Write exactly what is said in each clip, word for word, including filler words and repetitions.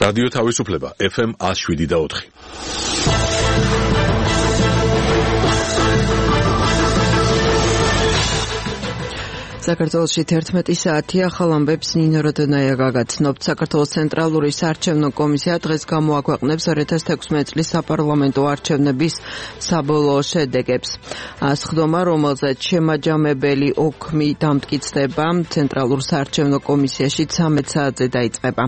რადიო თავისუფლება ეფ ემ one oh seven და four. საქართველოში თერთმეტი საათია, ახალ ამბებს ნინო როდონაია გაგაცნობთ. საქართველოს ცენტრალური საარჩევნო კომისია დღეს გამოაქვეყნებს two thousand sixteen წლის საპარლამენტო არჩევნების საბოლოო შედეგებს. სხდომა, რომელზეც შემაჯამებელი ოქმი დამტკიცდება, ცენტრალურ საარჩევნო კომისიაში thirteen საათზე დაიწყება.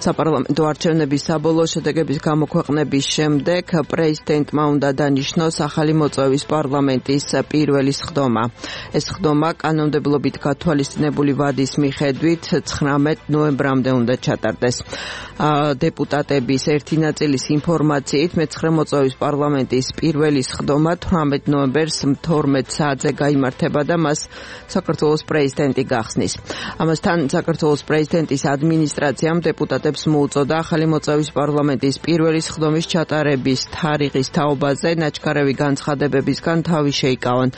საპარლამენტო არჩევნების საბოლოო შედეგების გამოქვეყნების შემდეგ პრეზიდენტმა უნდა დანიშნოს ახალი მოწვევის პარლამენტის პირველი სხდომა. ეს სხდომა კანონმდებლობით გათვალისწინებული ვადის მიხედვით nineteen ნოემბრამდე უნდა ჩატარდეს. დეპუტატების ერთი ნაწილის ინფორმაციით მეცხრე მოწვევის პარლამენტის პირველი სხდომა eighteen ნოემბერს twelve საათზე გაიმართება და მას საქართველოს პრეზიდენტი გახსნის. ამასთან საქართველოს პრეზიდენტის ადმინისტრაციამ დეპუტატებს მოუწოდა ახალი მოწვევის პარლამენტის პირველი სხდომის ჩატარების თარიღის თაობაზე ნაჩქარევი განცხადებებისგან თავი შეიკავონ.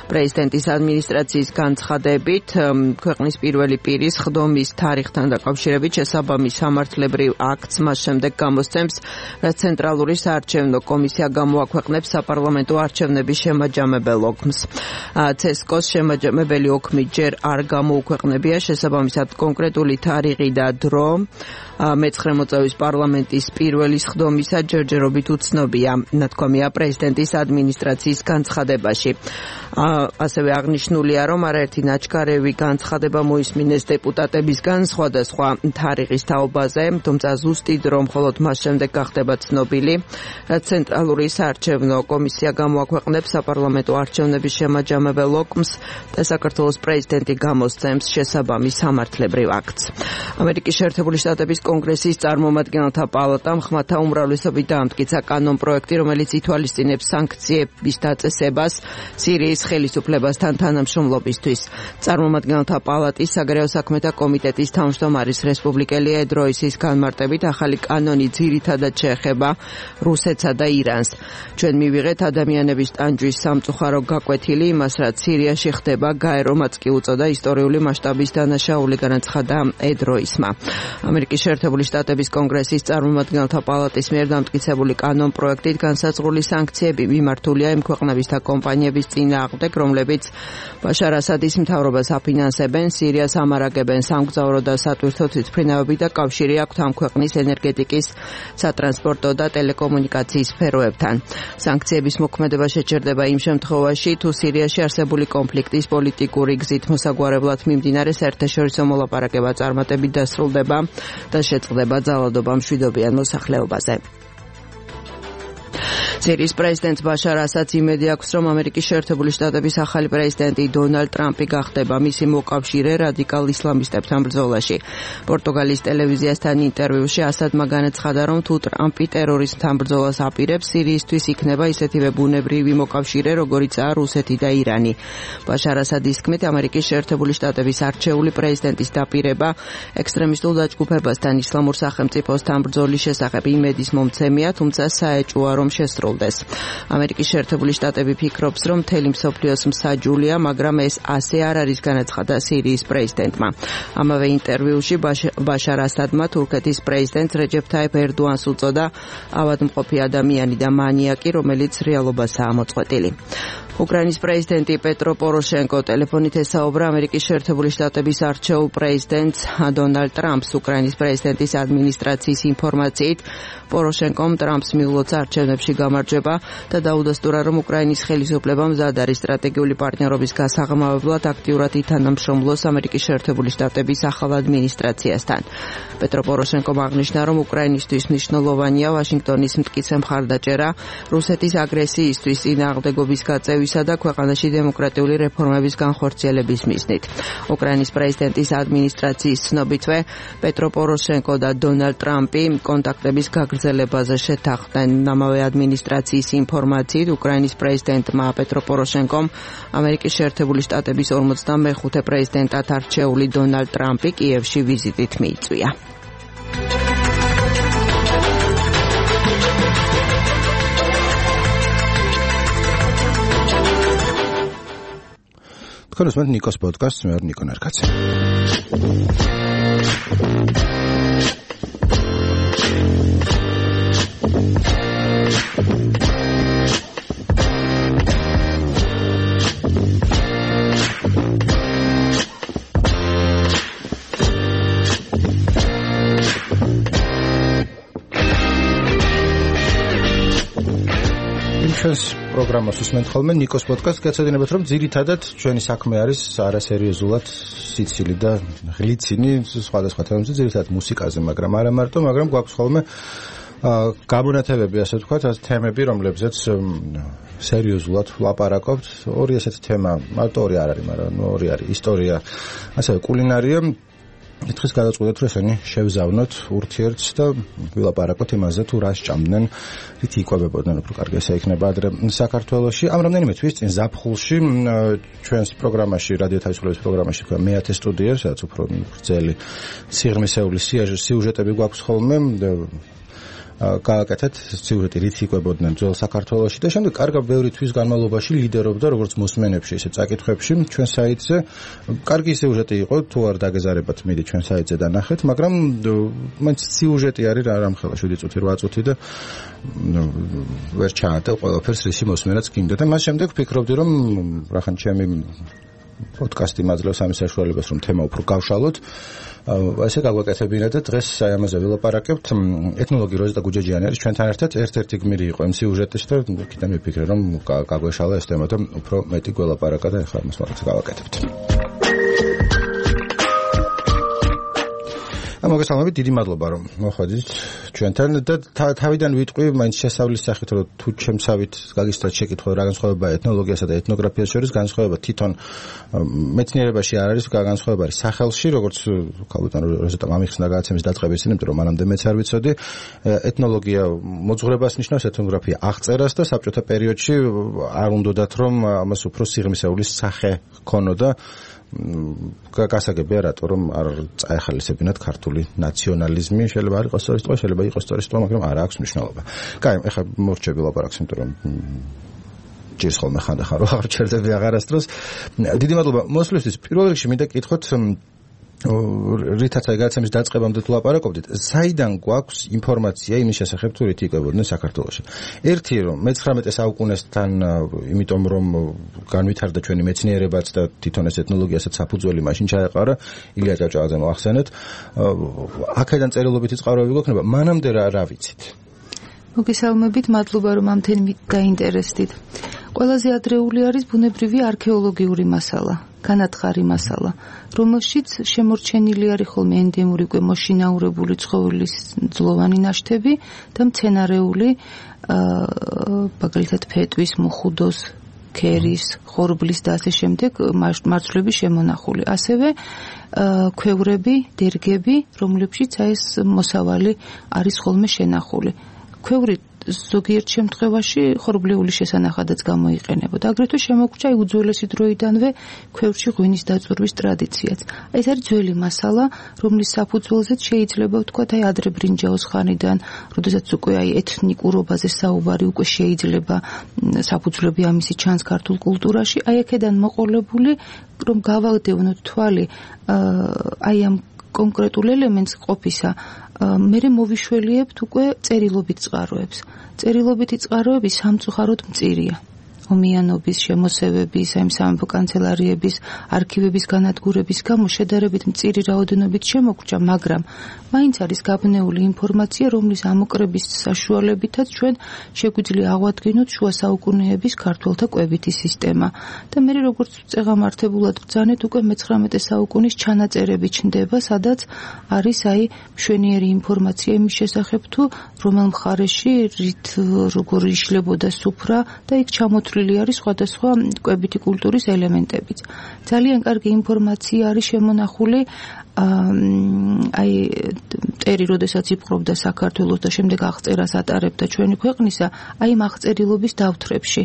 პრეზიდენტის ადმინისტრაციის განცხადებით ქვეყნის პირველი პირის სხდომის თარიღთან დაკავშირებით შესაბამის სამართლებრივ აქტს მას შემდეგ გამოსცემს, რაც ცენტრალური საარჩევნო კომისია გამოაქვეყნებს საპარლამენტო არჩევნების შემაჯამებელ ოქმს. ცესკოს შემაჯამებელი ოქმი ჯერ არ გამოუქვეყნებია, შესაბამისად კონკრეტული თარიღი და დრო მეცხრე მოწვევის პარლამენტის პირველი სხდომისა ჯერჯერობით უცნობია, ნათქვამია პრეზიდენტის ადმინისტრაციის განცხადებაში. ასევე აღნიშნულია, რომ არაერთი ნაჩქარევი განცხადება მოისმინეს დეპუტატებისგან სხვადასხვა თარიღის თაობაზე, თუმცა ზუსტი დრო მხოლოდ მას შემდეგ გახდება ცნობილი, რაც ცენტრალური საარჩევნო კომისია გამოაქვეყნებს საპარლამენტო არჩევნების შემაჯამებელ ოქმს და საქართველოს პრეზიდენტი გამოსცემს შესაბამის სამართლებრივ აქტს. ამერიკის შეერთებული შტატების კონგრესის წარმომადგენელთა პალატამ ხმათა უმრავლესობით დაამტკიცა კანონპროექტი, რომელიც ითვალისწინებს სანქციების დაწესებას სირიის ხელისუფლებასთან თანამშრომლობისთვის. წარმომადგენელთა პალატის საგარეო საქმეთა კომიტეტის თავმჯდომარის რესპუბლიკელი ედ როისის განმარტებით ახალი კანონი ძირითადად შეეხება რუსეთსა და ირანს. ჩვენ მივიღეთ ადამიანების ტანჯვის სამწუხარო გაკვეთილი იმას, რაც სირიაში ხდება, გაერომაც კი უწოდა ისტორიული მასშტაბის დანაშაული, განაცხადა ედ როისმა. ამერიკის შეერთებული შტატების კონგრესის წარმომადგენელთა პალატის მიერ დამტკიცებული კანონპროექტით განსაზღვრული სანქციები მიმართულია იმ ქვეყნების და კომპანიების წინააღმდეგ, რომლებიც ბაშარ ასადის მთავრობას აფინანსებენ, სირიას ამარაგებენ სამგზავრო და სატვირთო თვითმფრინავებით და კავშირი აქვთ ამ ქვეყნის ენერგეტიკის, სატრანსპორტო და ტელეკომუნიკაციის სფეროებთან. სანქციების მოქმედება შეჩერდება იმ შემთხვევაში, თუ სირიაში არსებული კონფლიქტის პოლიტიკური გზით მოსაგვარებლად მიმდინარე საერთაშორისო მოლაპარაკება წარმატებით დასრულდება და შეწყდება ძალადობა მშვიდობიან მოსახლეობაზე. სირიის პრეზიდენტს ბაშარ ასადს იმედი აქვს, რომ ამერიკის შეერთებული შტატების ახალი პრეზიდენტი დონალდ ტრამპი გახდება მისი მოკავშირე რადიკალ ისლამისტებთან ბრძოლაში. პორტუგალიის ტელევიზიასთან ინტერვიუში ასადმა განაცხადა, რომ თუ ტრამპი ტერორიზმთან ბრძოლას აპირებს, სირიისთვის იქნება ისეთივე ბუნებრივი მოკავშირე, როგორიცაა რუსეთი და ირანი. ბაშარ ასადის თქმით, ამერიკის შეერთებული შტატების არჩეული პრეზიდენტის დაპირება ექსტრემისტულ დაჯგუფებასთან ისლამურ სახელმწიფოსთან ბრძოლის შესახებ იმედის მომცემია, თუმცა საეჭვოა, რომ შესრულდეს. ამერიკის შეერთებული შტატები ფიქრობს, რომ მთელი მსოფლიოს მსაჯულია, მაგრამ ეს ასე არ არის, განაცხადა სირიის პრეზიდენტმა. ამავე ინტერვიუში ბაშარ ასადმა თურქეთის პრეზიდენტს რეჯეფ თაიფ ერდოანს უწოდა ავადმყოფი ადამიანი და მანიაკი, რომელიც რეალობასაა მოწყვეტილი. უკრაინის პრეზიდენტი პეტრო პოროშენკო ტელეფონით ესაუბრა ამერიკის შეერთებული შტატების არჩეულ პრეზიდენტს დონალდ ტრამპს. უკრაინის პრეზიდენტის ადმინისტრაციის ინფორმაციით, პოროშენკომ ტრამპს მიულოცა არჩევნებში გამარჯვება და დაუდასტურა, რომ უკრაინის ხელისუფლება მზად არის სტრატეგიული პარტნიორობის გასაღრმავებლად აქტიურად ითანამშრომლოს ამერიკის შეერთებული შტატების ახალ ადმინისტრაციასთან. პეტრო პოროშენკომ აღნიშნა, რომ უკრაინისთვის მნიშვნელოვანია ვაშინგტონის მტკიცე მხარდაჭერა რუსეთის აგრესიისთვის წინააღმდეგობის გაწევისა და ქვეყანაში დემოკრატიული რეფორმების განხორციელების მიზნით. უკრაინის პრეზიდენტის ადმინისტრაციის ცნობითვე პეტრო პოროშენკო და დონალდ ტრამპი კონტაქტების გაგრძელებაზე შეთანხმდნენ. ამავე ადმინისტრაციის ინფორმაციით, უკრაინის პრეზიდენტმა პეტრო პოროშენკომ ამერიკის შეერთებული შტატების ორმოცდამეხუთე პრეზიდენტად არჩეული დონალდ ტრამპი კიევში ვიზიტით მიიწვია. თქვენ უსმენთ ნიკოს პოდკასტს, მე ვარ ნიკო ნარკაცი. პროგრამას უსმენთ ხოლმე ნიკოს პოდკასტს. გეცოდინებათ, რომ ძირითადად ჩვენი საქმე არის არასერიოზულად სიცილი და ღლიცინი სხვადასხვა თემებზე, ძირითადად მუსიკაზე, მაგრამ არა მარტო, მაგრამ გვაქვს ხოლმე გამონათებები, ასე ვთქვათ, თემები, რომლებზეც სერიოზულად ვლაპარაკობთ. ორი ესეთი თემა, მარტო ორი არ არის, მაგრამ ორი არის ისტორია, ასევე კულინარია. ერთხელ გადაწყვეტეთ, რომ ესენი შევზავნოთ ურთიერთს და ვილაპარაკოთ იმაზე, თუ რა სჭამდნენ, რითი იკვებებოდნენ, უფრო კარგი ესე იქნება ადრე საქართველოში. ამ რამდენიმე თვის წინ ზაფხულში ჩვენს პროგრამაში, რადიო თავისუფლების პროგრამაში, თქვა მეათე სტუდია, სადაც უფრო გრძელი სიღრმისეული სიუჟეტები გვაქვს ხოლმე. გააკეთეთ სიუჟეტი რითი იკვებოდნენ ძველ საქართველოში და შემდეგ კარგა ბევრი თვის განმავლობაში ლიდერობდა როგორც მოსმენებში, ისე წაკითხებში ჩვენ საიტზე. კარგი სიუჟეტი იყო, თუ არ დაგეზარებათ, მიდი ჩვენ საიტზე და ნახეთ, მაგრამ მაინც სიუჟეტი არის რა რამხელა შვიდი წუთი, რვა წუთი და ვერ ჩაატევ ყველაფერს რისი მოსმენაც გინდა და მას შემდეგ ვფიქრობდი, რომ რახან ჩემი პოდკასტი მაძლევს ამის საშუალებას, რომ თემა უფრო გავშალოთ. ესე გაგვაკეთებინა და დღეს აი ამაზე ვილაპარაკებთ. ეთნოლოგი როზიტა გუჯაჯიანი არის ჩვენთან ერთად. ერთ-ერთი გმირი იყო იმ სიუჟეტის და კიდევ მიფიქრე, რომ გაგვეშალა ეს თემა და უფრო მეტი გველაპარაკა და ახლა მას მაგაც გავაკეთებთ. მოგესალმებით, დიდი მადლობა რომ მოხვედით ჩვენთან და თავიდან ვიტყვი მაინც შესავლის სახით, რომ თუ ჩემსავით გაგისწრათ შეკითხვა რა განსხვავებაა ეთნოლოგიასა და ეთნოგრაფიას შორის, განსხვავება თვითონ მეცნიერებაში არ არის, განსხვავება არის სახელში, როგორც კაპიტან როზიტა ამიხსნა გადაცემის დაწყების წინ, იმიტომ რომ მანამდე მეც არ ვიცოდი. ეთნოლოგია მოძღვრებას ნიშნავს, ეთნოგრაფია აღწერას და საბჭოთა პერიოდში არ უნდათ რომ ამას უფრო სიღრმისეული სახე ჰქონოდა. გასაგებია რატო რომ არ წაეხალისებინათ ქართული ნაციონალიზმი, შეიძლება არ იყოს სწორი, შეიძლება იყოს სწორი, მაგრამ არ აქვს მნიშვნელობა. კაი, ეხლა მორჩები ლაპარაკს, იმიტომ რომ ჯერს ხოლმე ხანდახან რო აღარ ჩერდები აღარასდროს. დიდი მადლობა მოსვლისთვის. პირველ რიგში მინდა გითხოთ, რითაც აი გადაცემის დაწყებამდე თუ ლაპარაკობდით, საიდან გვაქვს ინფორმაცია იმის შესახებ, თუ რითი იკვებოდნენ საქართველოში. ერთი რომ მეცხრამეტე საუკუნესთან, იმიტომ რომ განვითარდა ჩვენი მეცნიერებაც და თვითონ ეს ეთნოლოგიასაც საფუძველი მაშინ ჩაეყარა, ილია ჭავჭავაძე მოახსენეთ. აქედან წერილობითი წყაროები გვექნება, მანამდე რა რა ვიცით? მოგესალმებით, მადლობა რომ ამ თემით დაინტერესდით. ყველაზე ადრეული არის ბუნებრივი არქეოლოგიური მასალა, განათხარი მასალა, რომელშიც შემორჩენილი არის ხოლმე ენდემური უკვე მოშინაურებული ცხოველის ძლოვანი ნაშთები და მცენარეული, მაგალითად ფეტვის, მუხუდოს, ქერის, ხორბლის და ასე შემდეგ მარცვლების შემონახული. ასევე ქვევრები, დერგები, რომლებშიც ეს მოსავალი არის ხოლმე შენახული. ქვევრი ზოგიერთ შემთხვევაში ხორბლეული შესანახადაც გამოიყენებოდა. აგრეთვე შემოგვჭა უძველესი დროიდანვე ქვევრში ღვინის დაწურვის ტრადიციაც. ეს არის ძველი მასალა, რომლის საფუძველზეც შეიძლება ვთქვათ, აი ადრე ბრინჯაოს ხანიდან, როდესაც უკვე აი ეთნიკურობაზე საუბარი უკვე შეიძლება საფუძვლები ამისი ჩანს ქართულ კულტურაში, აი აქედან მოყოლებული, რომ გავაგდევნოთ თვალი აი ამ კონკრეტულ ელემენტს ყოფისა, მერე მოვიშველიებთ უკვე წერილობით წყაროებს. წერილობითი წყაროები სამწუხაროდ მწირია. ომიანობის, შემოსევების, აი სამეფო კანცელარიების, არქივების განადგურების გამო შედარებით მწირი რაოდენობით შემოგვჭა, მაგრამ მაინც არის გაბნეული ინფორმაცია, რომლის ამოკრების საშუალებითაც ჩვენ შეგვიძლია აღვადგინოთ შუა საუკუნეების ქართველთა კვებითი სისტემა. და მე როგორც წეღამართებულად ვბრძანეთ, უკვე მეცხრამეტე საუკუნის ჩანაწერები ჩნდება, სადაც არის აი მშვენიერი ინფორმაცია იმის შესახებ, თუ რომელ მხარეში რით როგორ იშლებოდა სუფრა და იქ ჩამოთვლილი არის სხვადასხვა კვებითი კულტურის ელემენტებიც. ძალიან კარგი ინფორმაცია არის შემონახული აი მტერი როდესაც იპყრობდა საქართველოს და შემდეგ აღწერას ატარებდა ჩვენი ქვეყნისა, აი ამ აღწერილობის დავთრებში.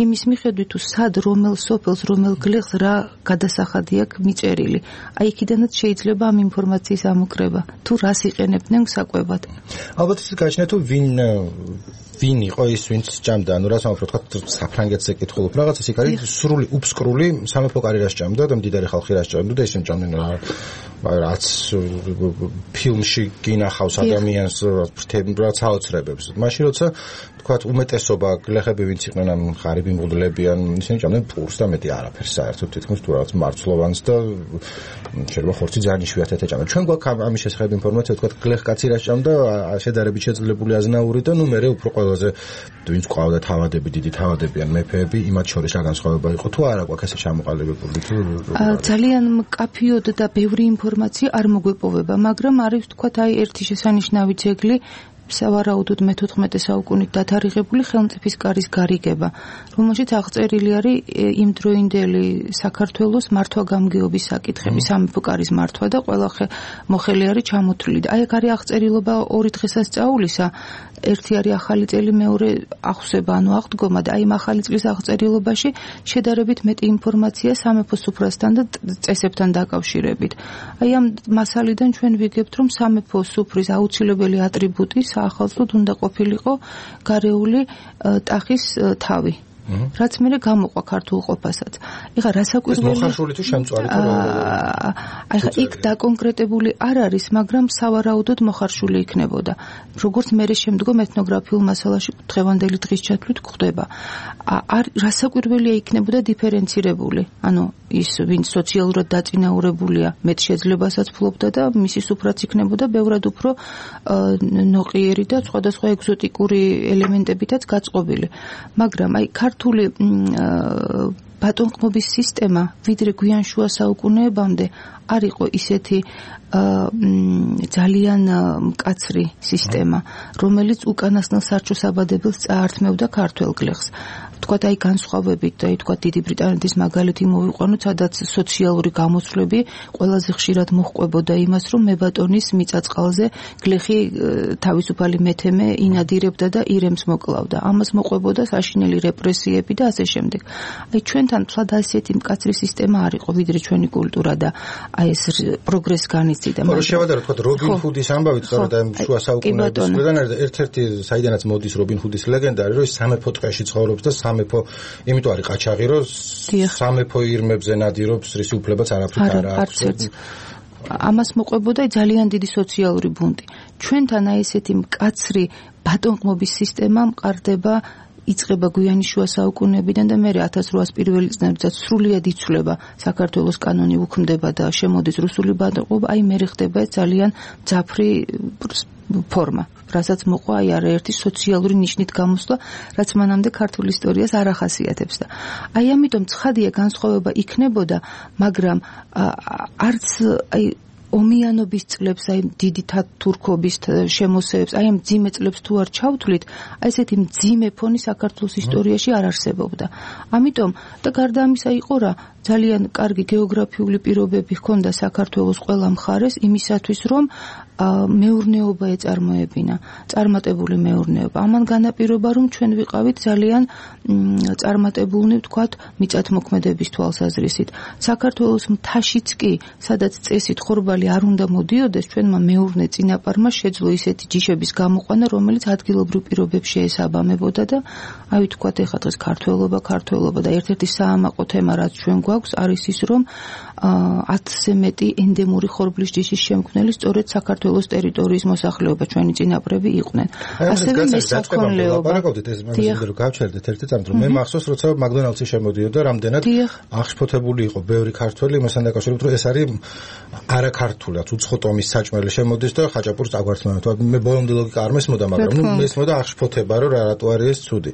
იმის მიხედვით თუ სად რომელ სოფელს, რომელ გლეხს რა გადასახადი აქვს მიწერილი. აი იქიდანაც შეიძლება ამ ინფორმაციის ამოკრება, თუ რას იყენებდნენ საკვებად. ალბათ ის გაჩნია თუ ვინ ვინ იყო ის ვინც ჭამდა, ანუ რა თქმა უნდა, თქვა საფრანგეთზე კითხულობ რაღაცას, იქ არის სრული უფსკრული სამეფო კარიერას ჭამდა და მდიდარი ხალხი რას ჭამდა და ისინი ჭამდნენ რაც ფილმში გინახავს ადამიანს რაც აოცრებებს. მაშინ როცა თქვა უმეტესობა გლეხები ვინც იყვნენ ამ ღარიბი მღვდლები ან ისინი ჭამდნენ პურს და მეტი არაფერს საერთოდ თითქმის თუ რაღაც მარცვლოვანს და შეიძლება ხორცი ძალიან იშვიათად ეჭამდა. ჩვენ გვაქვს ამის შესახებ ინფორმაცია, თქვა გლეხ კაცი რას ჭამდა, შედარებით შეძლებული აზნაური და ნუ მე უფრო ყველაზე ვინც ყავდა თავადები, დიდი თავადები ან მეფეები, იმათ შორის რა განსხვავება იყო თუ არა გვაქვს ესე ჩამოყალიბებული თუ ძალიან მკაფიოდ და ბევრი ინფორმაცია არ მოგვეპოვება, მაგრამ არის თქვათ აი ერთი შესანიშნავი ძეგლი სავარაუდოდ მეთოთხმეტე საუკუნით დათარიღებული ხელმწიფის კარის გარიგება, რომელშიც აღწერილი არის იმდროინდელი საქართველოს მართვა-გამგეობის საკითხები, სამეფო კარის მართვა და ყველა მოხელი არის ჩამოთვლილი. აი აქ არის აღწერილობა ორი დღესასწაულისა, ერთი არის ახალი წელი, მეორე აღსება, ანუ აღდგომა და აი ამ ახალი წლის აღწერილობაში შედარებით მეტი ინფორმაცია სამეფო სუფრასთან და წესებთან დაკავშირებით. აი ამ მასალიდან ჩვენ ვიგებთ, რომ სამეფო სუფრის აუცილებელი ატრიბუტი საახალწლოდ უნდა ყოფილიყო გარეული ტახის თავი. რაც მე გამოყვა ქართულ ყოფასაც. ეხლა რასაკვირველია მოხარშული თუ შემწვარი თუ აი ხა იქ დაკონკრეტებული არ არის, მაგრამ სავარაუდოდ მოხარშული იქნებოდა. როგორც მე შემდგომ ეთნოგრაფიულ მასალაში დღევანდელი დღის ჩათვლით გვხდება. არ რასაკვირველია იქნებოდა დიფერენცირებული. ანუ ის ვინც სოციალურად დაწინაურებულია, მეტ შეძლებასაც ფლობდა და მისი სუფრაც იქნებოდა ბევრად უფრო ნოყიერი და სხვადასხვა ეგზოტიკური ელემენტებითაც გაწყობილი. მაგრამ აი ქართული ბატონყმობის სისტემა ვიდრე გვიან შუა საუკუნეებამდე არ იყო ისეთი ძალიან მკაცრი სისტემა, რომელიც უკანასკნელ სარჩო საბადებელს წაართმევდა ქართველ გლეხს. თქვათ აი განსხვავებით, აი თქვათ დიდი ბრიტანეთის მაგალითი მოვიყვანოთ, სადაც სოციალური გამოცვლები ყველაზე ხშირად მოჰყვებოდა იმას, რომ მებატონის მიწაწყალზე გლეხი თავისუფალი მეთემე ინადირებდა და ირემს მოკლავდა. ამას მოყვებოდა საშინელი რეპრესიები და ასე შემდეგ. აი ჩვენთან თლად ასეთი მკაცრი სისტემა არ იყო, ვიდრე ჩვენი კულტურა და აი ეს პროგრესს განიცდიდა. მაგრამ შევადარო თქვათ რობინ ჰუდის ამბავით, სწორედ ამ შუა საუკუნეების მხრიდან არის ერთ-ერთი საიდანაც მოდის რობინ ჰუდის ლეგენდა, არის რომ ის სამეფო ტყეში ცხოვრობს და სამეფო, იმიტომ არის ყაჩაღი, რომ სამეფო ირმებზე ნადირობს, რის უფლებაც არაფრით არ აქვს. ამას მოყვებოდა ძალიან დიდი სოციალური ბუნტი. ჩვენთან აი ესეთი მკაცრი ბატონყმობის სისტემა მყარდება იწყება გვიანი შუა საუკუნეებიდან და მერე ათას რვაას პირველი წლებსაც სრულიად იცვლება საქართველოს კანონი უქმდება და შემოდის რუსული ბატონყმობა, აი მერე ხდება ძალიან ძაფრი ფორმა, რასაც მოყვა აი არაერთი სოციალური ნიშნით გამოსვლა, რაც მანამდე ქართულ ისტორიას არ ახასიათებს და აი ამიტომ ცხადია განსხვავება იქნებოდა, მაგრამ არც აი ომიანობის წლებს, აი დიდი თურქობის შემოსევებს, აი ამ მძიმე წლებს თუ არ ჩავთვლით, აი ესეთი მძიმე ფონი საქართველოს ისტორიაში არ არსებობდა. ამიტომ და გარდა ამისა იყო რა, ძალიან კარგი გეოგრაფიული პირობები ჰქონდა საქართველოს ყველა მხარეს იმისათვის, რომ მეურნეობა ეწარმოებინა, წარმატებული მეურნეობა. ამან განაპირობა, რომ ჩვენ ვიყავით ძალიან წარმატებულნი, ვთქვათ, მიწათმოქმედების თვალსაზრისით. საქართველოს მთაშიც კი, სადაც წესით ხორბალი არ უნდა მოდიოდეს, ჩვენმა მეურნე წინაპარმა შეძლო ისეთი ჯიშების გამოყვანა, რომელიც ადგილობრივ პირობებს შეესაბამებოდა და აი ვთქვათ, ეხლა დღეს ქართველობა, ქართველობა და ერთ-ერთი საამაყო თემა, რაც ჩვენ გვაქვს, არის ის, რომ ათზე მეტი ენდემური ხორბლის ჯიშის შემქმნელი სწორედ საქართველოს ტერიტორიის მოსახლეობა ჩვენი წინაპრები იყვნენ. ასევე მესაქონლეობა. ლაპარაკობდით ეს მაგაზე რომ გავჩერდეთ ერთი წამით, რომ მე მახსოვს, როცა მაგდონალდსი შემოდიოდა, რამდენად აღშფოთებული იყო ბევრი ქართველი იმასთან დაკავშირებით, რომ ეს არის არაქართულად უცხო ტომის საჭმელი შემოდის და ხაჭაპურს აგვართმევენ. მე ბოლომდე ლოგიკა არ მესმოდა, მაგრამ ნუ მესმოდა აღშფოთება, რომ რა რატო არის ეს ცუდი.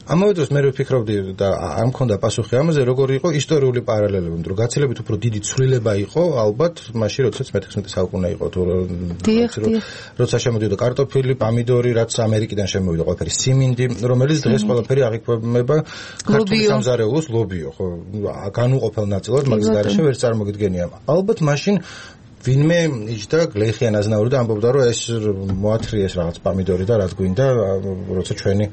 ამავე დროს მე ვფიქრობდი და არ მქონდა პასუხი ამაზე, როგორი იყო ისტორიული პარალელები, რომ გაცილებით უფრო დიდი ცვლილება იყო, ალბათ, მაშინ როდესაც მეთექვსმეტე საუკუნე იყო, თუ როცა შემოდიოდა კარტოფილი, პამიდორი, რაც ამერიკიდან შემოვიდა, ყველაფერი სიმინდი, რომელიც დღეს ყველაფერი აღიქვამება ქართული სამზარეულოს ლობიო, ხო, განუყოფელ ნაწილად, მაგის გარეშე ვერ წარმოგიდგენია. ალბათ მაშინ ვინმე იჯდა გლეხიან აზნაური და ამბობდა, რომ ეს მოათრიეს რაღაც პამიდორი და რაც გვინდა, როცა ჩვენი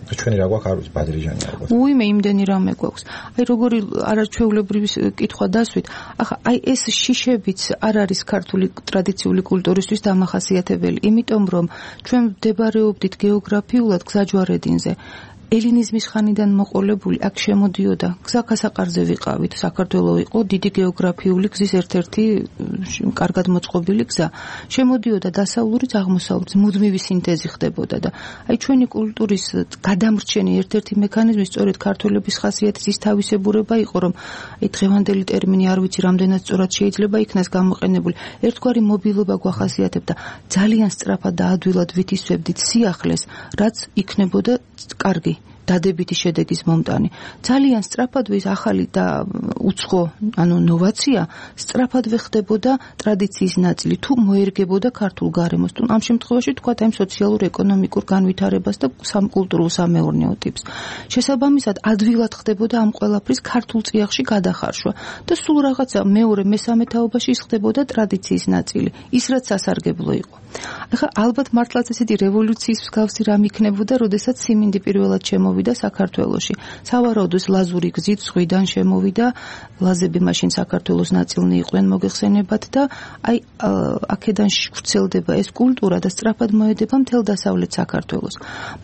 ჩვენი რა გვაქვს არ ვიცი ბადრიჟანი ალბათ. უიმე იმდენი რამე გვაქვს. აი როგორი არაჩვეულებრივი კითხვა დასვით. ახლა აი ეს შიშებიც არ არის ქართული ტრადიციული კულტურისთვის დამახასიათებელი, იმიტომ რომ ჩვენ ვდებარეობდით გეოგრაფიულად გზაჯვარედინზე. ელინიზმის ხანიდან მოყოლებული აქ შემოდიოდა გზაკასაყარზე ვიყავით საქართველო იყო დიდი გეოგრაფიული გზის ერთ-ერთი კარგად მოწყობილი გზა შემოდიოდა დასავლურით აღმოსავლეთით მუდმივი სინთეზი ხდებოდა და აი ჩვენი კულტურის გადამრჩენი ერთ-ერთი მექანიზმი სწორედ ქართველების ხასიათის ის თავისებურება იყო რომ აი დღევანდელი ტერმინი არ ვიცი რამდენად სწორად შეიძლება იქნას გამოყენებული ერთგვარი მობილობა გვახასიათებდა ძალიან სწრაფად და ადვილად ვითისვებდით სიახლეს რაც იქნებოდა კარგი დადებითი შედეგის მომტანი. ძალიან სწრაფად ვის ახალი და უცხო, ანუ ნოვაცია სწრაფად ვეხდებოდა ტრადიციის ნაწილი თუ მოერგებოდა ქართულ გარემოს. თუ ამ შემთხვევაში თქვათ ამ სოციალურ-ეკონომიკურ განვითარებას და სამკულტურულ სამეურნეო ტიპს. შესაბამისად ადვილად ხდებოდა ამ ყველაფრის ქართულ წიაღში გადახარშვა და სულ რაღაცა მეორე მესამე თაობაში ის ხდებოდა ტრადიციის ნაწილი. ის რაც სასარგებლო იყო. ახლა ალბათ მართლაც ესეთი რევოლუციის მსგავსი რამ იქნებოდა, როდესაც სიმინდი პირველად შემოვიდა საქართველოში. სავარაუდოდ ლაზური გზით ზღვიდან შემოვიდა, ლაზები მაშინ საქართველოს ნაწილნი იყვნენ მოგეხსენებათ და აი აქედან ვრცელდება ეს კულტურა და სწრაფად მოედება მთელ დასავლეთ საქართველოს.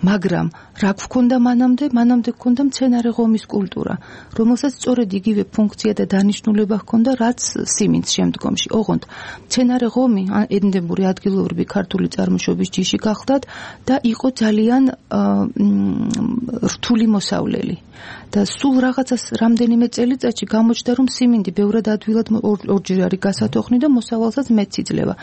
მაგრამ რა გვქონდა მანამდე? მანამდე გვქონდა მცენარე ღომის კულტურა, რომელსაც სწორედ იგივე ფუნქცია და დანიშნულება ჰქონდა, რაც სიმინდს შემდგომში. ოღონდ მცენარე ღომი ენდემური ადგილობრივი ქართული წარმოშობის ჯიში გახლდათ და იყო ძალიან რთული მოსავლელი. და სულ რაღაცას რამდენიმე წელიწადში გამოჩნდა რომ სიმინდი ბევრად ადვილად ორჯერ არის გასათოხნი და მოსავალსაც მეც იძლევა.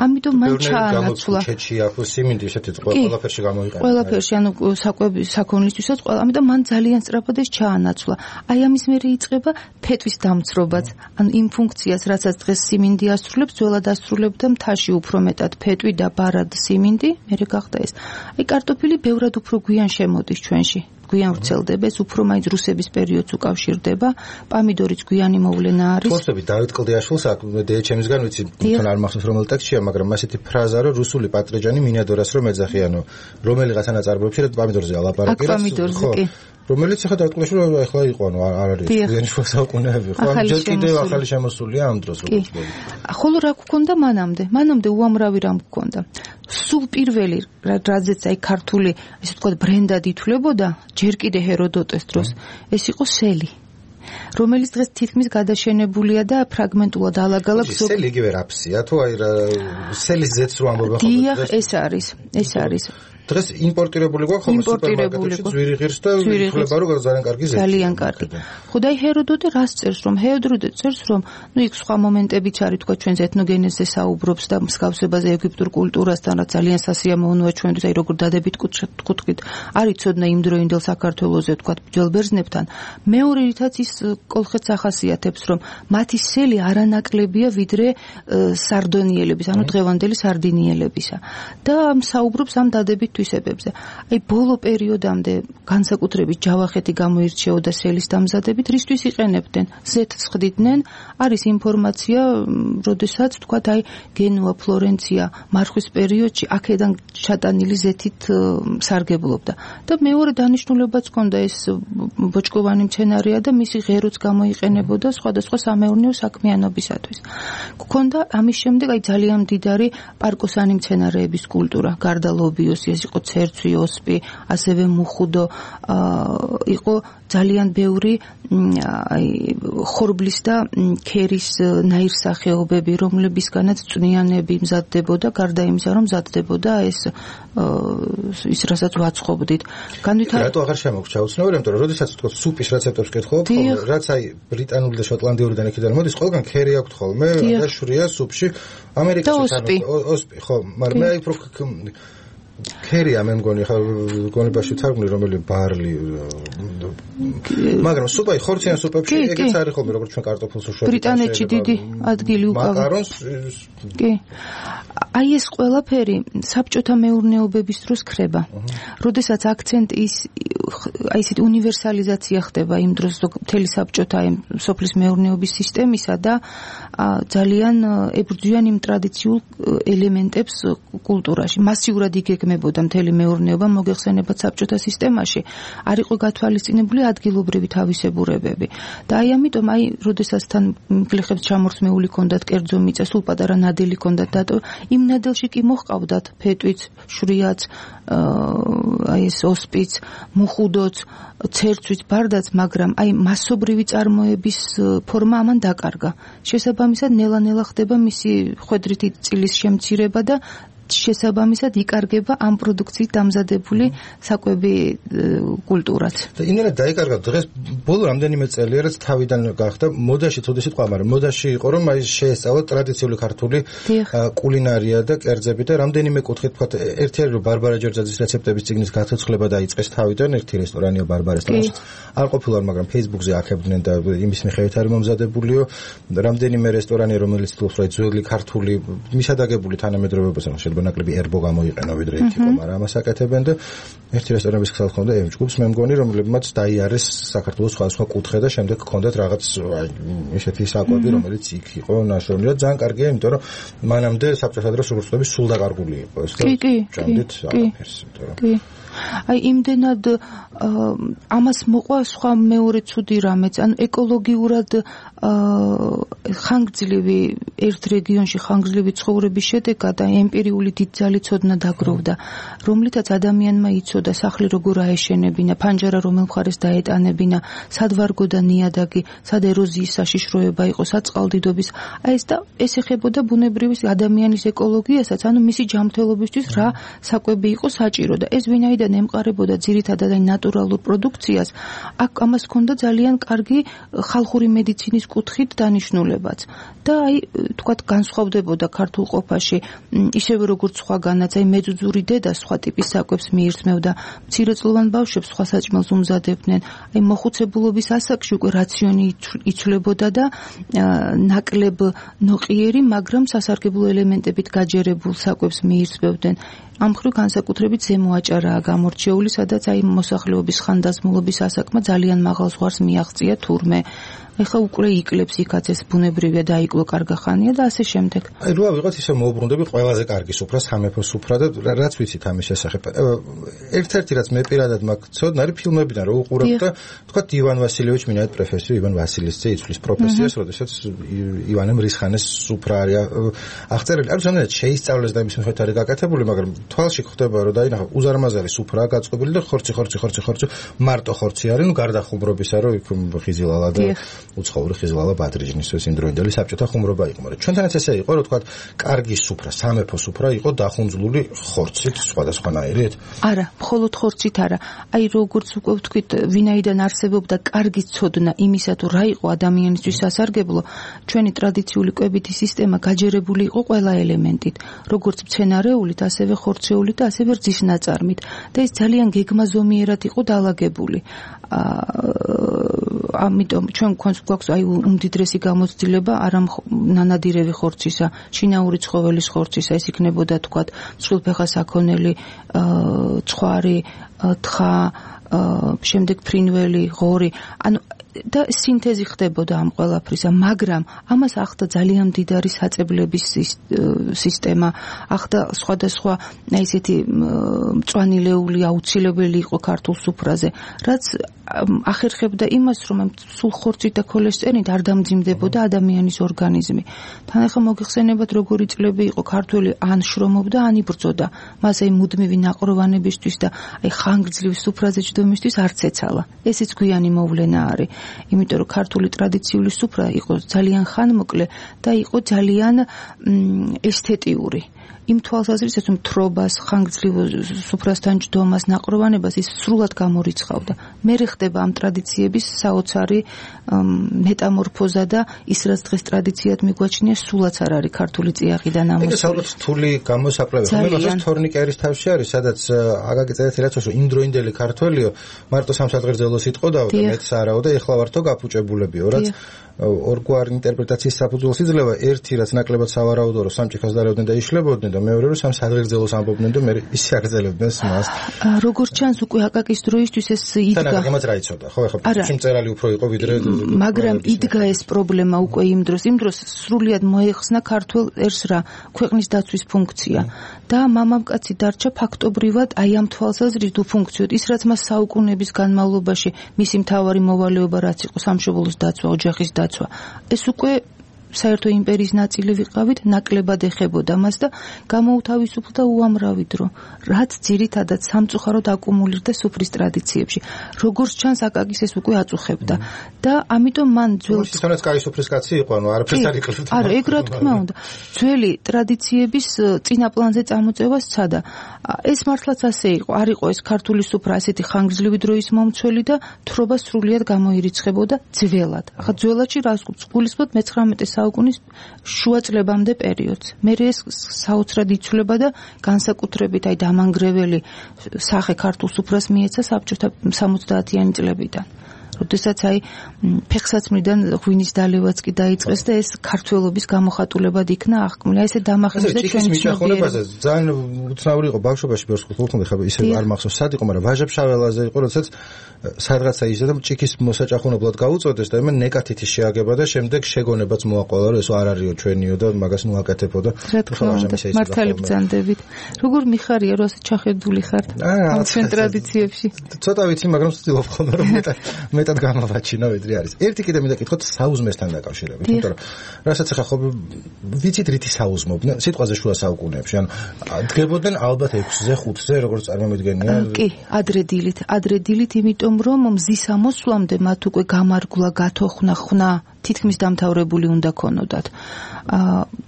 ამიტომ მან ჩაანაცვლა. ჩეჩი ახლა სიმინდი ესეთი ყველაფერში გამოიყენა. ყველაფერში ანუ საკვები საქონლისთვისაც ყველა, ამიტომ მან ძალიან სწრაფად ეს ჩაანაცვლა. აი ამის მერე იწყება ფეტვის დამცრობაც. ანუ იმ ფუნქციას რასაც დღეს სიმინდი ასრულებს, ძველად ასრულებდა მთაში უფრო მეტად ფეტვი და ბარად სიმინდი, მერე გახდა ეს. აი კარტოფილი ბევრად უფრო გვიან შემოდის ჩვენში. გვიან ვრცელდება, ეს უფრო მაინც რუსების პერიოდს უკავშირდება. პამიდორიც გვიანი მოვლენა არის. თორსები დავით კლდიაშვილს აქ დეეჩემისგან ვიცი, თან არ მახსოვს რომელ ტექსტშია, მაგრამ ასეთი ფრაზა რომ რუსული პატრიჯანი მინადორას რომ ეძახიანო, რომელიღაც ნაწარმოებში რა პამიდორზე ალაპარაკი რა. პამიდორზე კი. რომელიც ახლა დავით კლდიაშვილი ახლა იყო ანუ არ არის გვიანი შუა საუკუნეები, ხო? ჯერ კიდევ ახალი შემოსულია ამ დროს როგორც ვთქვი. ხოლო რა გქონდა მანამდე? მანამდე უამრავი რამ გქონდა. სულ პირველი რაზეც აი ქართული ესე ვთქვათ ბრენდად ითვლებოდა ჯერ კიდე ჰეროდოტეს დროს ეს იყო სელი რომელიც დღეს თითქმის გადაშენებულია და ფრაგმენტულად ალაგ-ალაგ ზოგ სელი იგივე რაფსია თუ აი სელის ზეთს რო ამბობენ ხოლმე დიახ ეს არის ეს არის დღეს იმპორტირებული გვაქვს ხოლმე სუპერმარკეტებში ძვირი ღირს და ითვლება რომ ძალიან კარგი ზეთი ძალიან კარგი ხოდა აი ჰეროდოტე რას წერს რომ ჰეროდოტე წერს რომ ნუ იქ სხვა მომენტებიც არის თქვა ჩვენს ეთნოგენეზზე საუბრობს და მსგავსებაზე ეგვიპტურ კულტურასთან რაც ძალიან სასიამოვნოა ჩვენთვის აი როგორ დადებით კუთხით არის ცოდნა იმ დროინდელ საქართველოზე თქვა ბრძოლ ბერძნებთან მეორე რითაც ის კოლხეთს ახასიათებს რომ მათი სელი არანაკლებია ვიდრე სარდონიელების ანუ დღევანდელი სარდინიელებისა და საუბრობს ამ დადებით თვისებებზე. აი ბოლო პერიოდამდე განსაკუთრებით ჯავახეთი გამოირჩეოდა სელის დამზადებით, რისთვის იყენებდნენ? ზეთს ხდიდნენ, არის ინფორმაცია, როდესაც თქვათ აი გენუა, ფლორენცია, მარხვის პერიოდში აქედან ჩატანილი ზეთით სარგებლობდა. და მეორე დანიშნულებაც ჰქონდა ეს ბოჭკოვანი მცენარეა და მისი ღეროც გამოიყენებოდა სხვადასხვა სამეურნეო საქმიანობისათვის. გქონდა ამის შემდეგ აი ძალიან მდიდარი პარკოსანი მცენარეების კულტურა, გარდა ლობიოსი ეს იყო ცერცვი, ოსპი, ასევე მუხუდო, იყო ძალიან ბევრი აი ხორბლის და ქერის ნაირსახეობები, რომლებისგანაც წვნიანები მზადდებოდა, გარდა იმისა, რომ მზადდებოდა ეს ის რასაც ვაცხობდით. განვითარება რატო აღარ შემოგჩა უცნაური, იმიტომ რომ როდესაც თქო სუპის რეცეპტებს კითხულობ, რაც აი ბრიტანული და შოტლანდიურიდან იქიდან მოდის, ყველგან ქერი აქვს ხოლმე და შვრია სუპში. ამერიკაში ოსპი, ხო, მაგრამ მე აი უფრო ქერია მე მგონი ხა გონებაში თარგმნი რომელი ბარლი მაგრამ სუპაი ხორციან სუპებში ეგეც არის ხოლმე როგორც ჩვენ კარტოფილს უშვებთ ბრიტანეთში დიდი ადგილი უკავია მაკარონს კი აი ეს ყველაფერი საბჭოთა მეურნეობების დროს ხდება როდესაც აქცენტი ის აი ესეთი უნივერსალიზაცია ხდება იმ დროს მთელი საბჭოთა სოფლის მეურნეობის სისტემისა და ძალიან ებრძვიან იმ ტრადიციულ ელემენტებს კულტურაში მასიურად იგეგმებოდა მთელი მეურნეობა მოგეხსენებათ საბჭოთა სისტემაში არ იყო გათვალისწინებული მიგზავნებული ადგილობრივი თავისებურებები. და აი ამიტომ აი როდესაც თან გლეხებს ჩამორთმეული ჰქონდათ კერძო მიწა, სულ პატარა ნადელი ჰქონდათ დატო, იმ ნადელში კი მოჰყავდათ ფეტვიც, შვრიაც, აი ეს ოსპიც, მუხუდოც, ცერცვიც, ბარდაც, მაგრამ აი მასობრივი წარმოების ფორმა ამან დაკარგა. შესაბამისად ნელა-ნელა ხდება მისი ხვედრითი წილის შემცირება და შესაბამისად იკარგება ამ პროდუქციით დამზადებული საკვები კულტურაც. და იმენად დაიკარგა დღეს ბოლო რამდენიმე წელია რაც თავიდან გახდა მოდაში თოდი სიტყვა, მაგრამ მოდაში იყო რომ აი შეესწავლა ტრადიციული ქართული კულინარია და კერძები და რამდენიმე კუთხით თქვა ერთი არის რომ ბარბარა ჯერძაძის რეცეპტების წიგნის გაცოცხლება დაიწყეს თავიდან ერთი რესტორანია ბარბარესთან არ ყოფილა, მაგრამ Facebook-ზე აქებდნენ და იმის მიხედვით არის მომზადებულიო რამდენიმე რესტორანი რომელიც თვლობს რომ ძველი ქართული მისადაგებული თანამედროვეობასთან ბანაკლები ერბო გამოიყენა ვიდრე ერთი იყო, მაგრამ ამას აკეთებენ და ერთი რესტორანების ხსალ ხონდა ემ ჯგუფს მე მგონი რომლებმაც დაიარეს საქართველოს სხვადასხვა კუთხე და შემდეგ ჰქონდათ რაღაც ესეთი საკვები რომელიც იქ იყო ნაშრომი და ძალიან კარგია, იმიტომ რომ მანამდე საბჭოთა დროს როგორც სულ დაკარგული იყო ეს და ჭამდით არაფერს, იმიტომ რომ აი იმდენად ამას მოყვა სხვა მეორე ცუდი რამეც, ანუ ეკოლოგიურად ხანგრძლივი ერთ რეგიონში ხანგრძლივი ცხოვრების შედეგად და ემპირიული დიდძალი ცოდნა დაგროვდა, რომლითაც ადამიანმა იცოდა სახლი როგორ აეშენებინა, ფანჯარა რომელ მხარეს დაეტანებინა, სად ვარგო და ნიადაგი, სად ეროზიის საშიშროება იყო, სად წყალდიდობის, აი ეს და ეს ეხებოდა ბუნებრივი ადამიანის ეკოლოგიასაც, ანუ მისი ჯანმრთელობისთვის რა საკვები იყო საჭირო და ეს ვინაიდან ემყარებოდა ძირითადად აი ნატურალურ პროდუქციას, აქ ამას ჰქონდა ძალიან კარგი ხალხური მედიცინის კუთხით დანიშნულებაც. და აი თქვათ განსხვავდებოდა ქართულ ყოფაში ისევე როგორც სხვაგანაც, აი მეძუძური დედა სხვა ტიპის საკვებს მიირთმევდა, მცირეწლოვან ბავშვებს სხვა საჭმელს უმზადებდნენ, აი მოხუცებულობის ასაკში უკვე რაციონი იცვლებოდა და ნაკლებ ნოყიერი, მაგრამ სასარგებლო ელემენტებით გაჯერებულ საკვებს მიირთმევდნენ. ამ მხრივ განსაკუთრებით ზემო აჭარაა გამორჩეული, სადაც აი მოსახლეობის ხანდაზმულობის ასაკმა ძალიან მაღალ ზღვარს მიაღწია თურმე. ეხლა უკვე იკლებს იქაც ეს ბუნებრივია დაიკლო კარგა ხანია და ასე შემდეგ. აი რა ვიღოთ ისე მოუბრუნდები ყველაზე კარგი სუფრა, სამეფო სუფრა და რაც ვიცით ამის შესახებ. ერთ-ერთი რაც მე პირადად მაქვს ცოდნა არის ფილმებიდან რო უყურებ და თქვა ივან ვასილევიჩ მინაეთ პროფესიო ივან ვასილისძე იცვლის პროფესიას, როდესაც ივანემ რისხანეს სუფრა არის აღწერილი. არ ზოგადად შეისწავლეს და იმის მიხედვით არის გაკეთებული, მაგრამ თვალში ხდება რომ დაინახა უზარმაზარი სუფრაა გაწყობილი და ხორცი ხორცი ხორცი ხორცი მარტო ხორცი არის, ნუ გარდა ხუმრობისა რომ იქ ხიზილალა და უცხოური ხიზილალა ბადრიჟნის ეს იმდროინდელი საბჭოთა ხუმრობა იყო, მაგრამ ჩვენთანაც ესე იყო რომ თქვა კარგი სუფრა, სამეფო სუფრა იყო დახუნძლული ხორცით სხვადასხვანაირით? არა, მხოლოდ ხორცით არა. აი როგორც უკვე ვთქვით, ვინაიდან არსებობდა კარგი ცოდნა იმისა თუ რა იყო ადამიანისთვის სასარგებლო, ჩვენი ტრადიციული კვებითი სისტემა გაჯერებული იყო ყველა ელემენტით, როგორც მცენარეულით, ასევე ხორცეულით და ასევე რძის ნაწარმით და ეს ძალიან გეგმაზომიერად იყო დალაგებული. ამიტომ ჩვენ გვაქვს აი უმდიდრესი გამოცდილება არა ნანადირევი ხორცისა, შინაური ცხოველის ხორცისა, ეს იქნებოდა თქვათ მსხვილფეხა საქონელი, ცხვარი, თხა, შემდეგ ფრინველი, ღორი, ანუ და სინთეზი ხდებოდა ამ ყველაფრისა, მაგრამ ამას ახდა ძალიან მდიდარი საწებლების სისტემა, ახდა სხვადასხვა ესეთი მწვანილეული აუცილებელი იყო ქართულ სუფრაზე, რაც ახერხებდა იმას, რომ სულ ხორცით და ქოლესტერინით არ დამძიმდებოდა ადამიანის ორგანიზმი. თან ახლა მოგიხსენებათ როგორი წლები იყო ქართველი ან შრომობდა, ან იბრძოდა. მას აი მუდმივი ნაყროვანებისთვის და აი ხანგრძლივი სუფრაზე ჯდომისთვის არც ეცალა. ესეც გვიანი მოვლენა არის. იმიტომ რომ ქართული ტრადიციული სუფრა იყო ძალიან ხანმოკლე და იყო ძალიან ესთეტიური. იმ თვალსაზრისით რომ თრობას, ხანგრძლივ სუფრასთან ჯდომას, ნაყროვანებას ის სრულად გამორიცხავდა. მერე ხდება ამ ტრადიციების საოცარი მეტამორფოზა და ის რაც დღეს ტრადიციად მიგვაჩნია, სულაც არ არის ქართული წიაღი და ნამოსული. ეს ალბათ რთული გამოსაკვლევი. ხომ თორნიკერის თავში არის, სადაც აგაგიწერეთ რაც რომ იმდროინდელი ქართველიო მარტო სამსადღერძელოს იტყოდაო და მეც არაო და ეხლა ვართო გაფუჭებულებიო, რაც ორგვარი ინტერპრეტაციის საფუძველს იძლევა. ერთი რაც ნაკლებად სავარაუდო რომ სამჭიქას დარევდნენ და იშლებოდნენ იკრიბებოდნენ და მეორე რომ სამ საგრძელოს ამბობდნენ და მე ისე აგრძელებდნენ მას. როგორც ჩანს უკვე აკაკის დროისთვის ეს იდგა. თან აკაკიმაც რა იცოდა, ხო ახლა პრინციპში მწერალი უფრო იყო ვიდრე მაგრამ იდგა ეს პრობლემა უკვე იმ დროს, იმ დროს სრულიად მოეხსნა ქართულ ერს რა ქვეყნის დაცვის ფუნქცია და მამამკაცი დარჩა ფაქტობრივად აი ამ თვალსაზრისით უფუნქციოდ. ის რაც მას საუკუნეების განმავლობაში მისი მთავარი მოვალეობა რაც იყო სამშობლოს დაცვა, ოჯახის დაცვა, ეს უკვე საერთო იმპერიის ნაწილი ვიყავით, ნაკლებად ეხებოდა მას და გამოუთავისუფლდა უამრავი დრო, რაც ძირითადად სამწუხაროდ აკუმულირდა სუფრის ტრადიციებში. როგორც ჩანს, აკაკის ეს უკვე აწუხებდა და ამიტომ მან ძველ ისიც კაი სუფრის კაცი იყო, ანუ არაფერს არ იკლებდა. არა, ეგ რა თქმა უნდა. ძველი ტრადიციების წინა პლანზე წამოწევა სცადა. ეს მართლაც ასე იყო. არ იყო ეს ქართული სუფრა ასეთი ხანგრძლივი დროის მომცველი და თხრობა სრულიად გამოირიცხებოდა ძველად. ახლა ძველადში რას გულისხმობთ მეცხრამეტე საუკუნის შუა წლებამდე პერიოდს. მე ეს საოცრად იცვლება და განსაკუთრებით აი დამანგრეველი სახე ქართულ სუფრას მიეცა საბჭოთა სამოცდაათიანი წლებიდან. როდესაც აი ფეხსაცმლიდან ღვინის დალევაც კი დაიწყეს და ეს ქართველობის გამოხატულებად იქნა აღქმული. აი ესე დამახინჯდა ჩვენი მიწახონებაზე ძალიან უცნაური იყო ბავშვობაში ბევრს ხუთმე ხება ისე არ მახსოვს სად იყო, მაგრამ ვაჟა-ფშაველაზე იყო, როდესაც სადღაცა იზრდა და ჭიქის მოსაჭახუნებლად გაუწოდეს და მე ნეკათითი შეაგება და შემდეგ შეგონებაც მოაყოლა, რომ ესო არ არისო ჩვენიო და მაგას ნუ აკეთებო და მართალი ბრძანდებით. როგორ მიხარია რომ ასე ჩახედული ხართ ამ ჩვენ ტრადიციებში? ცოტა ვიცი, მაგრამ ვცდილობ ხოლმე რომ მეტად მეტად გამოვაჩინო ვიდრე არის. ერთი კიდე მინდა კითხოთ საუზმესთან დაკავშირებით, იმიტომ რომ რასაც ახლა ხო ვიცით რითი საუზმობდნენ სიტყვაზე შუა საუკუნეებში, ანუ დგებოდნენ ალბათ ექვსზე, ხუთზე, როგორც წარმომიდგენია. კი, ადრე დილით, ადრე დილით, იმიტომ რომ მზის ამოსვლამდე მათ უკვე გამარგვლა, გათოხნა, ხნა თითქმის დამთავრებული უნდა ქონოდათ.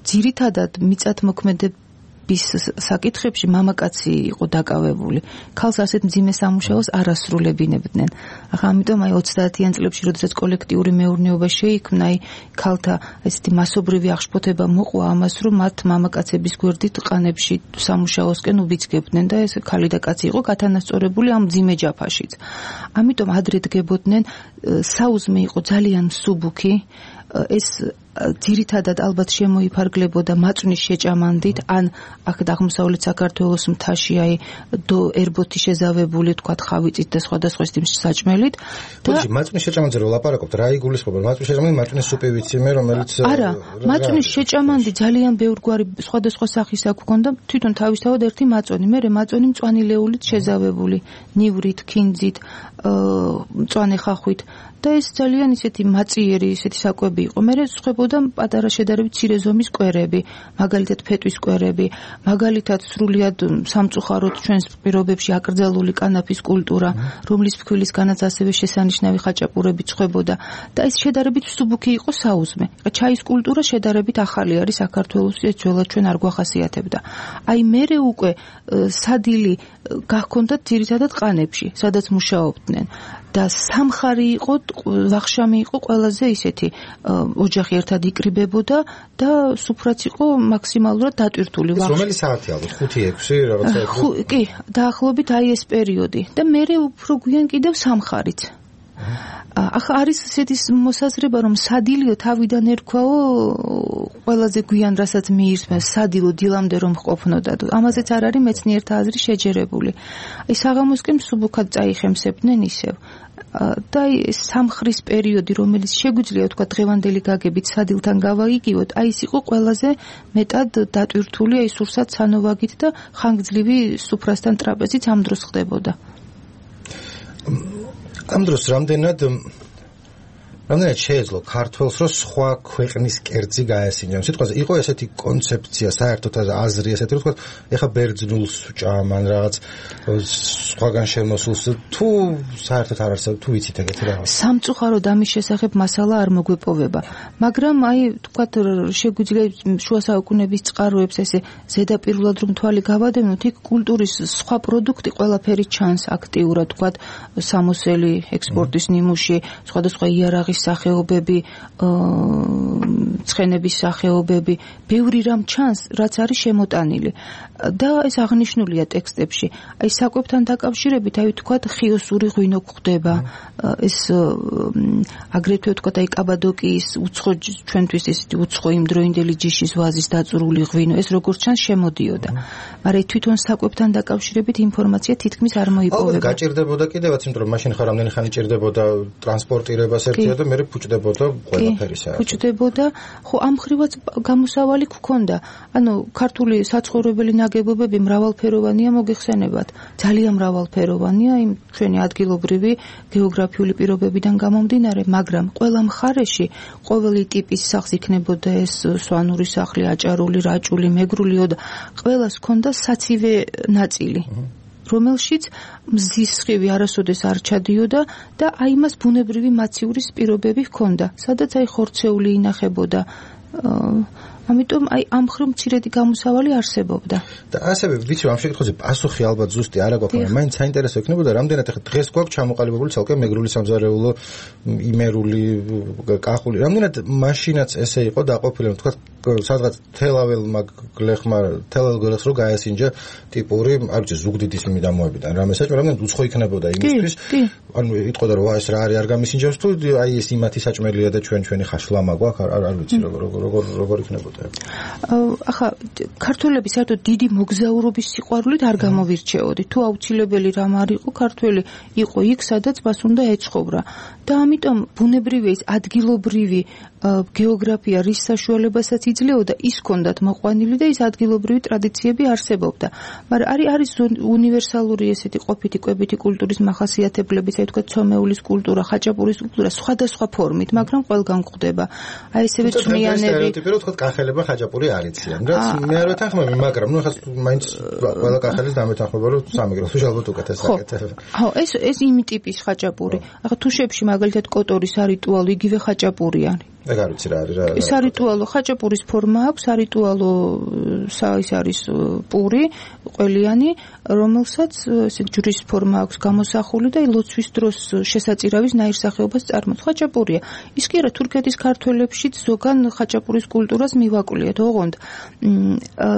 ძირითადად მიწათმოქმედების საკითხებში მამაკაცი იყო დაკავებული. ქალს ასეთ მძიმე სამუშაოს არ ასრულებინებდნენ. ახლა ამიტომ აი ოცდაათიან წლებში, როდესაც კოლექტიური მეურნეობა შეიქმნა, აი ქალთა ესეთი მასობრივი აღშფოთება მოყვა ამას, რომ მათ მამაკაცების გვერდით ყანებში სამუშაოსკენ უბიძგებდნენ და ეს ქალი და კაცი იყო გათანასწორებული ამ მძიმე ჯაფაშიც. ამიტომ ადრე დგებოდნენ, საუზმე იყო ძალიან მსუბუქი, ეს ძირითადად ალბათ შემოიფარგლებოდა მაწვნის შეჭამანდით, ან აქ აღმოსავლეთ საქართველოს მთაში აი დო ერბოთი შეზავებული, თქვათ ხავიწით და სხვადასხვა საჭმელით. და მაწვნის შეჭამანდზე რო ლაპარაკობთ, რა იგულისხმება? მაწვნის შეჭამანდი მაწვნის სუპი ვიცი მე, რომელიც არა, მაწვნის შეჭამანდი ძალიან ბევრგვარი სხვადასხვა სახის აქვს ქონდა, თვითონ თავისთავად ერთი მაწვენი, მე მაწვენი მწვანი ლეულით შეზავებული, ნივრით, ქინძით, მწვანე ხახვით. და ეს ძალიან ისეთი მაწიერი, ისეთი საკვები იყო. მე სხვებოდა პატარა შედარებით მცირე ზომის კვერები, მაგალითად ფეტვის კვერები, მაგალითად სრულიად სამწუხაროდ ჩვენს პირობებში აკრძალული კანაფის კულტურა, რომლის ფქვილისგანაც ასევე შესანიშნავი ხაჭაპურები ცხებოდა და ეს შედარებით მსუბუქი იყო საუზმე. ჩაის კულტურა შედარებით ახალი არის საქართველოს, ეს ძველად ჩვენ არ გვახასიათებდა. აი მერე უკვე სადილი გახქონდათ ძირითადად ყანებში, სადაც მუშაობდნენ. და სამხარი იყო, ვახშამი იყო ყველაზე ისეთი ოჯახი ერთად იკრიბებოდა და სუფრაც იყო მაქსიმალურად დატვირთული. რომელი საათი ალბათ ხუთი ექვსი რაღაცა იყო? კი, დაახლოებით აი ეს პერიოდი და მე უფრო გვიან კიდევ სამხარიც. ახლა არის ესეთი მოსაზრება, რომ სადილიო თავიდან ერქვაო ყველაზე გვიან რასაც მიირთმევს, სადილო დილამდე რომ ყოფნოდა. ამაზეც არ არის მეცნიერთა აზრი შეჯერებული. აი საღამოსკენ მსუბუქად წაიხემსებდნენ ისევ. და ეს სამხრის პერიოდი, რომელიც შეგვიძლია თქვა დღევანდელი გაგებით სადილთან გავაიგივოთ, აი ეს იყო ყველაზე მეტად დატვირთული, აი სურსათ სანოვაგით და ხანგრძლივი სუფრასთან ტრაპეზით ამ დროს ხდებოდა. ამ დროს რამდენად რამდენად შეეძლო ქართველს, რომ სხვა ქვეყნის კერძი გაესინჯა. სიტყვაზე იყო ესეთი კონცეფცია, საერთოდ აზრი ესეთი, რომ თქვა, ეხა ბერძნულს ჭამან რაღაც სხვაგან შემოსულს, თუ საერთოდ არ არსებობს, თუ ვიცით ეგეთი რაღაც. სამწუხაროდ ამის შესახებ მასალა არ მოგვეპოვება, მაგრამ აი თქვა შეგვიძლია შუა საუკუნეების წყაროებს ესე ზედაპირულად რომ თვალი გავადევნოთ, იქ კულტურის სხვა პროდუქტი ყველაფერი ჩანს აქტიურად, თქვა სამოსელი, ექსპორტის ნიმუში, სხვადასხვა იარაღის სახეობები, ცხენების სახეობები, ბევრი რამ ჩანს, რაც არის შემოტანილი. და ეს აღნიშნულია ტექსტებში. აი საკვებთან დაკავშირებით, აი ვთქვათ, ხიოსური ღვინო გვხვდება. ეს აგრეთვე ვთქვათ, აი კაბადოკიის უცხო ჩვენთვის ესეთი უცხო იმდროინდელი ჯიშის ვაზის დაწურული ღვინო, ეს როგორც ჩანს შემოდიოდა. მაგრამ თვითონ საკვებთან დაკავშირებით ინფორმაცია თითქმის არ მოიპოვება. ალბათ გაჭირდებოდა კიდევაც, იმიტომ რომ მაშინ ხარ რამდენი ხანი ჭირდებოდა ტრანსპორტირებას ერთია და მე ფუჭდებოდა ყველაფერი საერთოდ. ფუჭდებოდა, ხო ამ ხრივაც გამოსავალი გქონდა. ანუ ქართული საცხოვრებელი ნაგებობები მრავალფეროვანია მოგეხსენებათ. ძალიან მრავალფეროვანია იმ ჩვენი ადგილობრივი გეოგრაფიული პირობებიდან გამომდინარე, მაგრამ ყველა მხარეში ყოველი ტიპის სახლს იქნებოდა ეს სვანური სახლი, აჭარული, რაჭული, მეგრული და ყველას ჰქონდა საცივე ნაწილი. რომელშიც მზის სხივი არასოდეს არ ჩადიოდა და აი მას ბუნებრივი მაცივრის პირობები ჰქონდა, სადაც აი ხორცეული ინახებოდა. ამიტომ აი ამ მხრივ მცირედი გამოსავალი არსებობდა. და ასევე ვიცი ამ შეკითხვაზე პასუხი ალბათ ზუსტი არ აქვს, მაგრამ მაინც საინტერესო იქნებოდა რამდენად ახლა დღეს გვაქვს ჩამოყალიბებული ცალკე მეგრული სამზარეულო, იმერული, კახული. რამდენად მაშინაც ესე იყო დაყოფილი, თქვა სადღაც თელაველმა გლეხმა, თელაվել გლეხს რო გაესინჯა ტიპური, არ ვიცი, ზუგდიდის მიდამოებიდან რამე საჭირო, რამდენად უცხო იქნებოდა იმისთვის. ანუ იტყოდა რომ ეს რა არის არ გამისინჯავს თუ აი ეს იმათი საჭმელია და ჩვენ ჩვენი ხაშლამა გვაქვს, არ არ ვიცი როგორ როგორ როგორ იქნებოდა. ახლა ქართველები საერთოდ დიდი მოგზაურობის სიყვარულით არ გამოვირჩეოდი. თუ აუცილებელი რამ არ იყო, ქართველი იყო იქ, სადაც მას უნდა ეცხოვრა. და ამიტომ ბუნებრივი ეს ადგილობრივი გეოგრაფია რის საშუალებასაც იძლეოდა, ის ჰქონდათ მოყვანილი და ის ადგილობრივი ტრადიციები არსებობდა. მაგრამ არის არის უნივერსალური ესეთი ყოფითი კვებითი კულტურის მახასიათებლები, ასე ვთქვათ, ცომეულის კულტურა, ხაჭაპურის კულტურა, სხვადასხვა ფორმით, მაგრამ ყველგან გვხვდება. აი ესევე წვნიანები. ტიპიურად ვთქვათ, კახელება ხაჭაპური არ იციან. რაც მე არ ვეთანხმები, მაგრამ ნუ ახლა მაინც ყველა კახელის დამეთანხმება, რომ სამეგრელოს ალბათ უკეთეს საკეთება. ხო, ეს ეს იმ ტიპის ხაჭაპური. ახლა თუშებში მაგალითად კოტორის არიტუალო იგივე ხაჭაპური არის. ეგ არ ვიცი რა არის რა. ეს არიტუალო ხაჭაპურის ფორმა აქვს, არიტუალო ის არის პური, ყველიანი, რომელსაც ესე ჯვრის ფორმა აქვს გამოსახული და ლოცვის დროს შესაწირავის ნაირსახეობას წარმოადგენს. ხაჭაპურია. ის კი არა თურქეთის ქართველებშიც ზოგან ხაჭაპურის კულტურას მივაკვლიეთ, ოღონდ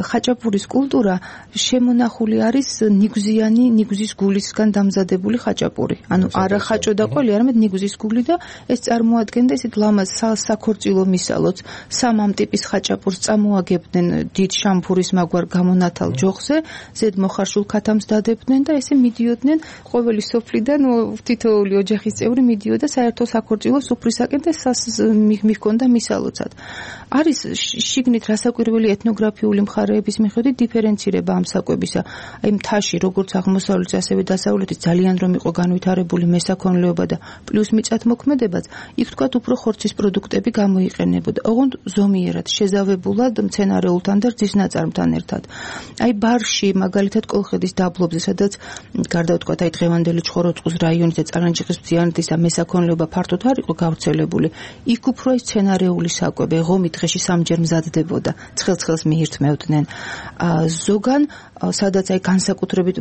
ხაჭაპურის კულტურა შემონახული არის ნიგზიანი, ნიგზის გულისგან დამზადებული ხაჭაპური. ანუ არა ხაჭო და ყველი, არამედ ნიგზის გული და ეს წარმოადგენდა ესეთ ლამაზ საქორწილო მისალოც. სამ ამ ტიპის ხაჭაპურს წამოაგებდნენ დიდ შამფურის მაგვარ გამონათალ ჯოხზე, ზედ მოხარშულ ქათამს დადებდნენ და ესე მიდიოდნენ ყოველი სოფლიდან თითოეული ოჯახის წევრი მიდიოდა საერთო საქორწილო სუფრისაკენ და მიჰქონდა მისალოცად. არის შიგნით რასაკვირველი ეთნოგრაფიული მხარეების მიხედვით დიფერენცირება ამ საკვებისა. აი მთაში როგორც აღმოსავლეთში ასევე დასავლეთით ძალიან რომ იყო განვითარებული მესაქონლეობა და პლუს მიწათმოქმედებაც, იქ თქვათ უფრო ხორცის პროდუქტები გამოიყენებოდა. ოღონდ ზომიერად შეზავებულად მცენარეულთან და რძის ნაწარმთან ერთად. აი ბარში მაგალითად კოლხეთის დაბლობზე, სადაც გარდა ვთქვათ აი დღევანდელი ჩხოროწყუს რაიონის და წარანჯიხის მთიანეთის მესაქონლეობა ფართოდ არ იყო გავრცელებული. იქ უფრო ის მცენარეული საკვები ღომი დღეში სამჯერ მზადდებოდა, ცხელ-ცხელს მიირთმევდნენ. ზოგან სადაც აი განსაკუთრებით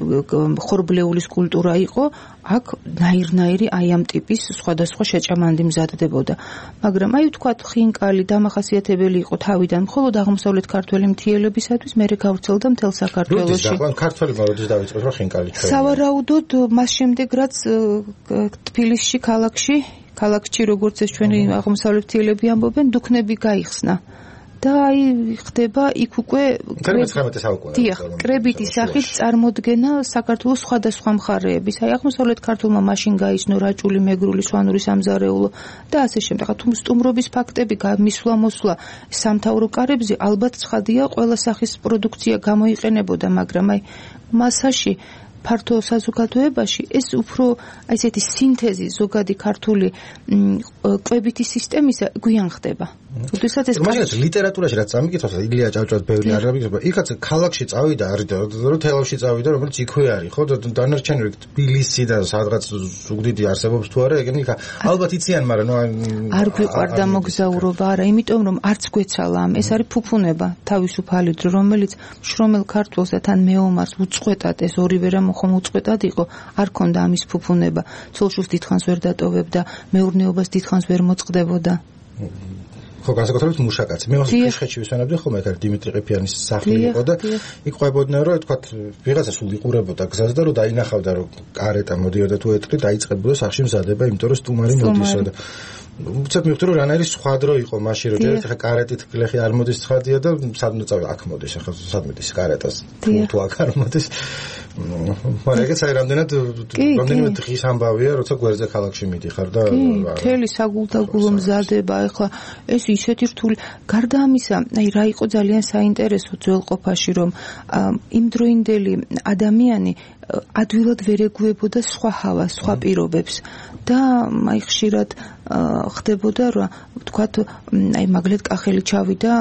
ხორბლეულის კულტურა იყო, აქ ნაირ-ნაირი აი ამ ტიპის სხვადასხვა შეჭამანდი მზადდებოდა. მაგრამ აი ვთქვათ ხინკალი დამახასიათებელი იყო თავიდან მხოლოდ აღმოსავლეთ ქართველი მთიელებისათვის, მერე გავრცელდა მთელ საქართველოში. ქართველი მაროდის დავიწყოთ რომ ხინკალი ჩვენ. სავარაუდოდ მას შემდეგ რაც თბილისში ქალაქში, ქალაქში როგორც ეს ჩვენი აღმოსავლეთ მთიელები ამბობენ, დუქნები გაიხსნა. და აი ხდება იქ უკვე კრებითი სახით წარმოდგენა საქართველოს სხვადასხვა მხარეების. აი აღმოსავლეთ ქართულმა მაშინ გაიცნო რაჭული, მეგრული, სვანური სამზარეულო და ასე შემდეგ. თუ სტუმრობის ფაქტები გამისვლა-მოსვლა სამთავრო კარებზე ალბათ ცხადია ყველა სახის პროდუქცია გამოიყენებოდა, მაგრამ აი მასაში ფართო საზოგადოებაში ეს უფრო აი ესეთი სინთეზი ზოგადი ქართული კვებითი სისტემისა გვიან ხდება. როდესაც ეს მაგალითად ლიტერატურაში რაც წამიკითხავს ილია ჭავჭავაძე ბევრი არ გამიგება. იქაც ქალაქში წავიდა არის და რომ თელავში წავიდა, რომელიც იქვე არის, ხო? დანარჩენი თბილისიდან სადღაც ზუგდიდი არსებობს თუ არა, ეგენი ალბათ იციან, მაგრამ ნუ არ გვიყვარდა მოგზაურობა, არა, იმიტომ რომ არც გვეცალა ამ, ეს არის ფუფუნება, თავისუფალი დრო, რომელიც შრომელ ქართველს და თან მეომარს უწყვეტად ეს ორივე რამ ხომ უწყვეტად იყო, არ ქონდა ამის ფუფუნება. ცოლშვილს დიდხანს ვერ დატოვებდა, მეურნეობას დიდხანს ვერ მოწყდებოდა. ხო, განსაკუთრებით მუშაკაცი. მე ხეშხეთში ვისვენებდი ხოლმე ერთ დიმიტრი ყიფიანის სახლი იყო და იქ ყვებოდნენ რომ თქვა ვიღაცა სულ იყურებოდა გზას და რომ დაინახავდა რომ კარეტა მოდიოდა თუ ეტყვი დაიწყებოდა სახში მზადება, იმიტომ რომ სტუმარი მოდისო და უცებ მივხვდი რომ რანაირი სხვა დრო იყო მაშინ რომ ჯერ ხა კარეტით გლეხი არ მოდის ცხადია და სადმე წავი აქ მოდის ახლა სადმე დის კარეტას თუ აქ არ მოდის მაგრამ ეგეც აი რამდენად რამდენიმე დღის ამბავია როცა გვერდზე ქალაქში მიდიხარ და მთელი საგულდაგულო მზადება ახლა ეს ისეთი რთული გარდა ამისა აი რა იყო ძალიან საინტერესო ძველყოფაში რომ იმდროინდელი ადამიანი ადვილად ვერ ეგუებოდა სხვა ჰავას, სხვა პირობებს და აი ხშირად ხდებოდა რომ ვთქვათ აი მაგალითად კახელი ჩავიდა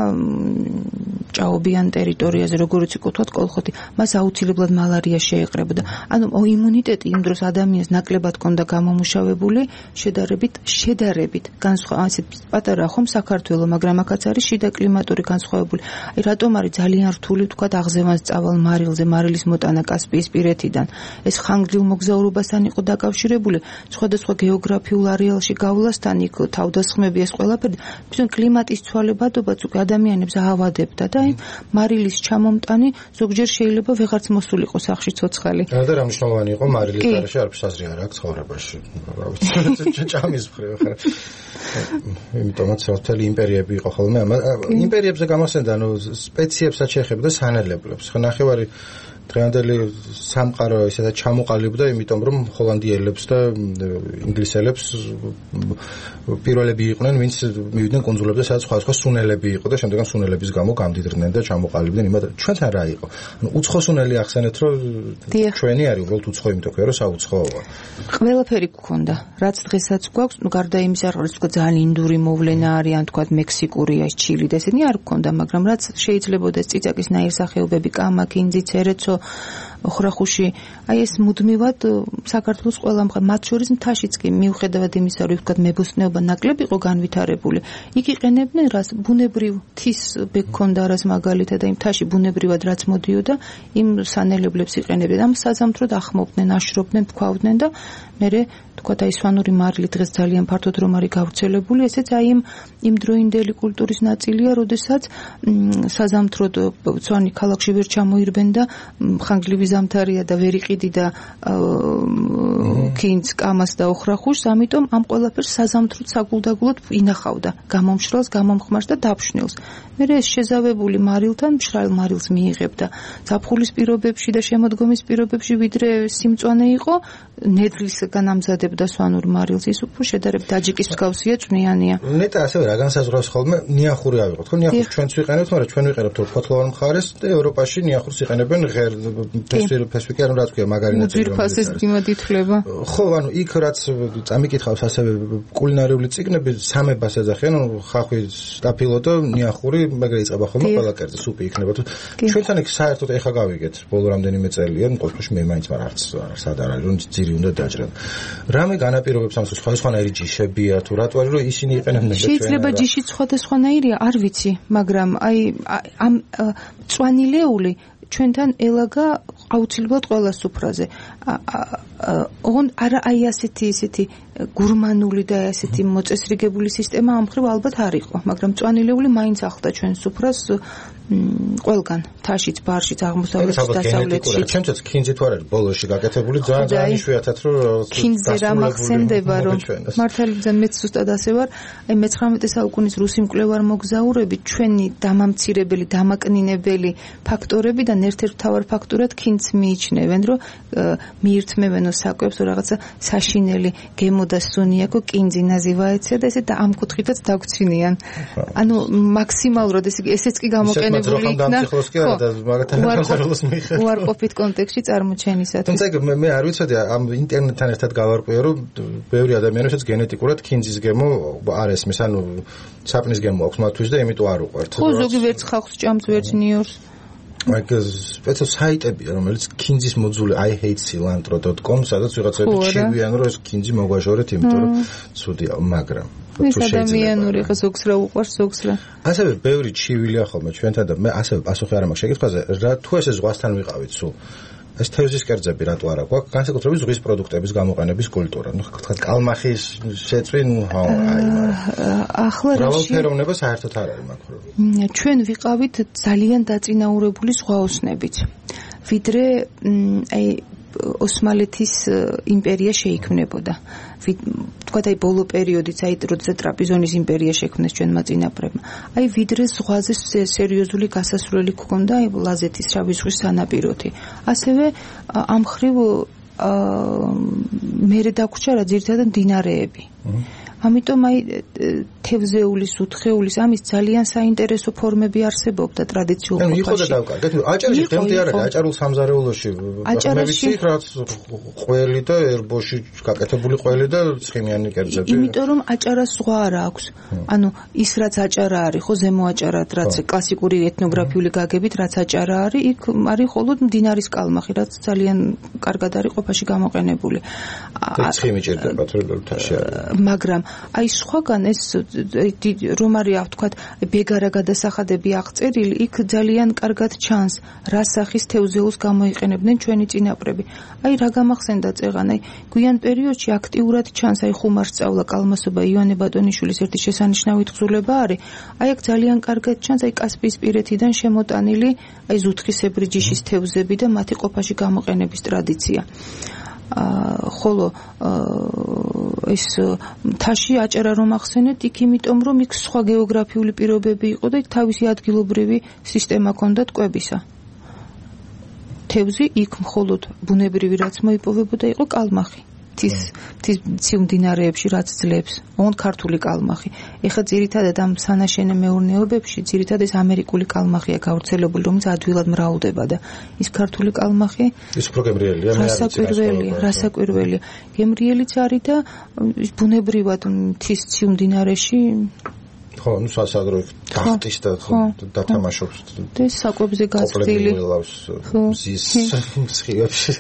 ჭაობიან ტერიტორიაზე როგორც იყო ვთქვათ კოლხოთი მას აუცილებლად მალარია შეეყრებოდა ანუ იმუნიტეტი იმ დროს ადამიანს ნაკლებად ჰქონდა გამომუშავებული შედარებით შედარებით განსხვავებული ასეთ პატარა ხომ საქართველოს მაგრამ აქაც არის შიდა კლიმატური განსხვავებული აი რატომ არის ძალიან რთული ვთქვათ აღზევანს წავალ მარილზე მარილის მოტანა კასპიის პირეთიდან ეს ხანგრძლივ მოგზაურობასთან იყო დაკავშირებული სხვადასხვა გეოგრაფიულ არეალში გავლასთან იქ თავდასხმები ეს ყველაფერი თვითონ კლიმატის ცვალებადობაც უკვე ადამიანებს აავადებდა და აი მარილის ჩამომტანი ზოგჯერ შეიძლება ვეღარც მოსულიყო სახში ცოცხალი და რა მნიშვნელოვანი იყო მარილის გარეშე არაფერს აზრი არ აქვს ცხოვრებაში რა ვიცი ჭამის მხრივ ხარ იმიტომაც მთელი იმპერიები იყო ხოლმე იმპერიებზე გამოსცემდა ანუ სპეციებსაც შეეხებოდა სანელებლებს ხო ნახევარი დღევანდელი სამყარო ისედაც ჩამოყალიბდა იმიტომ რომ ჰოლანდიელებს და ინგლისელებს პირველები იყვნენ ვინც მივიდნენ კუნძულებზე სადაც სხვადასხვა სუნელები იყო და შემდგომ სუნელების გამო გამდიდრდნენ და ჩამოყალიბდნენ იმათ ჩვენთან რა იყო ანუ უცხო სუნელი ახსენეთ რომ ჩვენი არის უბრალოდ უცხო იმიტომ ხო რომ საუცხოა ყველაფერი გქონდა რაც დღესაც გვაქვს ნუ გარდა იმისა რომ თქვა ძალიან ინდური მოვლენა არის ან თქვა მექსიკური ეს ჩილი და ესენი არ გქონდა მაგრამ რაც შეიძლებოდა ციცაკის ნაირსახეობები კამა კინძი ცერეცო ოხრახუში აი ეს მუდმივად საქართველოს ყველა მხარე მათ შორის მთაშიც კი მიუხედავად იმისა რომ ვთქვათ მებოსტნეობა ნაკლები იყო განვითარებული იქ იყენებდნენ რას ბუნებრივ თის ბექონდა რას მაგალითად აი მთაში ბუნებრივად რაც მოდიოდა იმ სანელებლებს იყენებდნენ ამ საზამთროდ ახმობდნენ აშრობდნენ თქვავდნენ და მერე თქვათ აი სვანური მარილი დღეს ძალიან ფართოდ რომ არის გავრცელებული ესეც აი იმ იმ დროინდელი კულტურის ნაწილია როდესაც საზამთროდ სვანი ქალაქში ვერ ჩამოირბენ და ხანგრძლივი ზამთარია და ვერ იყიდი და კინძ კამას და ოხრახუშს ამიტომ ამ ყველაფერს საზამთროდ საგულდაგულოდ ინახავდა გამომშრალს გამომხმარს და დაფშვნილს მერე ეს შეზავებული მარილთან მშრალ მარილს მიიღებდა ზაფხულის პირობებში და შემოდგომის პირობებში ვიდრე სიმწვანე იყო ნედლის განამზადებდა სვანურ მარილს ის უფრო შედარებით დაჯიკის მსგავსია წვნიანია ნეტა ასევე რა განსაზღვრავს ხოლმე ნიახური ავიღოთ ხო ნიახურს ჩვენც ვიყენებთ მაგრამ ჩვენ ვიყენებთ ფოთლოვან მხარეს და ევროპაში ნიახურს იყენებენ ღერ ფესვიკი ანუ რა თქვია მაგარი ნაწილი ძირფასის მიმად ითვლება ხო ანუ იქ რაც წამიკითხავს ასევე კულინარიული წიგნები სამებას ეძახიან ანუ ხახვი სტაფილო და ნიახური მაგრამ იწყება ხოლმე ყველა კერძი სუპი იქნება თუ ჩვენთან იქ საერთოდ ეხა გავიგეთ ბოლო რამდენიმე წელია ნუ ყოველთვის მე მაინც მაგრამ არც სად არ არის რომ ძირი უნდა დაჭრან რამე განაპირობებს ამ სხვადასხვანაირი ჯიშებია თუ რატო არის რომ ისინი იყენებდნენ და ჩვენ შეიძლება ჯიში სხვადასხვანაირია არ ვიცი მაგრამ აი ამ წვანილეული ჩვენთან ელაგა აუცილებლად ყველა სუფრაზე ოღონდ არა აი ასეთი ისეთი გურმანული და ასეთი მოწესრიგებული სისტემა ამ მხრივ ალბათ არ იყო მაგრამ წვანილეული მაინც ახლდა ჩვენ სუფრას ყველგან თაშიც ბარშიც აღმოსავლეთში დასავლეთში ჩვენც კინძი თუ არ არის ბოლოში გაკეთებული ძალიან იშვიათად რომ კინძი რა მახსენდება რომ მართალია მეც ზუსტად ასე ვარ აი მეცხრამეტე საუკუნის რუსი მკვლევარ მოგზაურები ჩვენი დამამცირებელი დამაკნინებელი ფაქტორებიდან ერთ-ერთ მთავარ ფაქტორად კინძს მიიჩნევენ რომ მიირთმევენო საკვებს რაღაცა საშინელი გემო და სუნიაკო კინძი ნაზივაეცია და ესე და ამ კუთხითაც დაგვრჩინიან ანუ მაქსიმალურად ესე ესეც კი გამოყენება უარყოფით კონტექსტში წარმოჩენისათვის. თუმცა მე მე არ ვიცოდი ამ ინტერნეტთან ერთად გავარკვიე რომ ბევრი ადამიანებსაც გენეტიკურად კინძის გემო არ ესმის ანუ საპნის გემო აქვს მათთვის და იმიტომ არ უყვართ. ხო ზოგი ვერც ხალხს ჭამს ვერც ნიორს. მაგას სპეციალ საიტებია რომელიც კინძის მოძული i hate cilantro dot com სადაც ვიღაცები ჩივიან რომ ეს კინძი მოგვაშორეთ იმიტომ რომ ცუდია მაგრამ ეს ადამიანური ხო ზოგს რა უყვარს ზოგს რა ასევე ბევრი ჩივილია ხოლმე ჩვენთან და მე ასევე პასუხი არ მაქვს შეკითხვაზე რა თუ ესე ზღვასთან ვიყავით სულ ეს თევზის კერძები რატო არა გვაქვს განსაკუთრებით ზღვის პროდუქტების გამოყენების კულტურა. ნუ თქვა კალმახის შეწვინ ხო აი ახლა რავალფეროვნება საერთოდ არ არის მაგ პრობლემა. ჩვენ ვიყავით ძალიან დაწინაურებული ზღვაოსნებით. ვიდრე აი ოსმალეთის იმპერია შეიქმნებოდა. თქვა აი ბოლო პერიოდიც აი როცა ტრაპიზონის იმპერია შექმნეს ჩვენმა წინაპრებმა. აი ვიდრე ზღვაზე სერიოზული გასასვლელი გქონდა აი ლაზეთის შავი ზღვის სანაპიროთი. ასევე ამ ხრივ მერე დაგვრჩა რა ძირითადად მდინარეები. ამიტომ აი თევზეულის, უთხეულის ამის ძალიან საინტერესო ფორმები არსებობდა ტრადიციულ ყოფაში. ანუ იყო და დავკარგეთ. აჭარაში დღემდე არ არის აჭარულ სამზარეულოში. აჭარაში რაც ყველი და ერბოში გაკეთებული ყველი და ცხიმიანი კერძები. იმიტომ რომ აჭარას ზღვა არ აქვს. ანუ ის რაც აჭარა არის, ხო ზემო აჭარა, რაც კლასიკური ეთნოგრაფიული გაგებით, რაც აჭარა არის, იქ არის მხოლოდ მდინარის კალმახი, რაც ძალიან კარგად არის ყოფაში გამოყენებული. ცხიმი ჭირდება თურმე მაგრამ აი სხვაგან ეს რომ არის ვთქვათ ბეგარა გადასახადები აღწერილი იქ ძალიან კარგად ჩანს რა სახის თევზეულს გამოიყენებდნენ ჩვენი წინაპრები. აი რა გამახსენდა წეღან აი გვიან პერიოდში აქტიურად ჩანს აი ხუმარსწავლა კალმასობა ივანე ბატონიშვილის ერთი შესანიშნავი თხზულება არის. აი აქ ძალიან კარგად ჩანს აი კასპიისპირეთიდან შემოტანილი აი ზუთხისებრი ჯიშის თევზები და მათი ყოფაში გამოყენების ტრადიცია. ხოლო ეს მთაში აჭარა რომ ახსენეთ იქ იმიტომ რომ იქ სხვა გეოგრაფიული პირობები იყო და იქ თავისი ადგილობრივი სისტემა ჰქონდათ კვებისა. თევზი იქ მხოლოდ ბუნებრივი რაც მოიპოვებოდა იყო კალმახი. თის თის მდინარეებში რაც ძლებს, ოღონდ ქართული კალმახი. ეხლა ძირითადად ამ სანაშენე მეურნეობებში ძირითადად ეს ამერიკული კალმახია გავრცელებული, რომელიც ადვილად მრავლდება და ის ქართული კალმახი ის უფრო გემრიელია, მე არ ვიცი. რასაკვირველია, რასაკვირველია. გემრიელიც არის და ბუნებრივად თის ციუ მდინარეში ხო, ну სასაგრო დახტის და დათამაშობს. და საკვებზე გაწვდილი. ზის მსხიებში.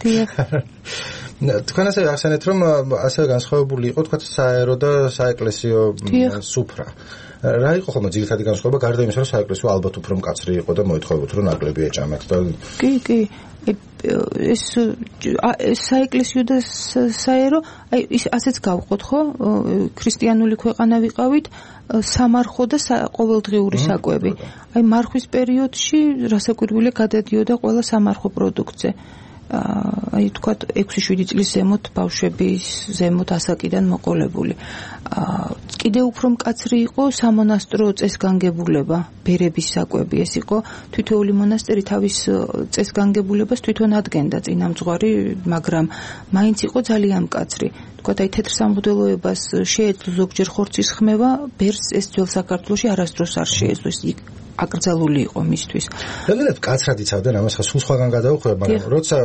თქვენ ასე ახსენეთ რომ ასე განსხვავებული იყო თქვა საერო და საეკლესიო სუფრა. რა იყო ხოლმე ძირითადი განსხვავება გარდა იმისა რომ საეკლესიო ალბათ უფრო მკაცრი იყო და მოითხოვებოდა რომ ნაკლები ეჭამეთ და კი კი ეს საეკლესიო და საერო აი ის ასეც გავყოთ ხო ქრისტიანული ქვეყანა ვიყავით სამარხო და ყოველდღიური საკვები. აი მარხვის პერიოდში რასაკვირველია გადადიოდა ყველა სამარხო პროდუქტზე. აი თქვათ ექვსი შვიდი წლის ზემოთ ბავშვების ზემოთ ასაკიდან მოყოლებული. კიდევ უფრო მკაცრი იყო სამონასტრო წესგანგებულება, ბერების საკვები. ეს იყო თითოეული მონასტერი თავის წესგანგებულებას თვითონ ადგენდა წინამძღვარი, მაგრამ მაინც იყო ძალიან მკაცრი. თქვათ აი თეთრ სამღვდელოებას შეეძლო ზოგჯერ ხორცის ხმევა, ბერს ეს ძველ საქართველოში არასდროს არ შეეძლო. ის აკრძალული იყო მისთვის. რამდენად კაცრად იცავდნენ ამას ხა სულ სხვაგან გადავხვდება, მაგრამ როცა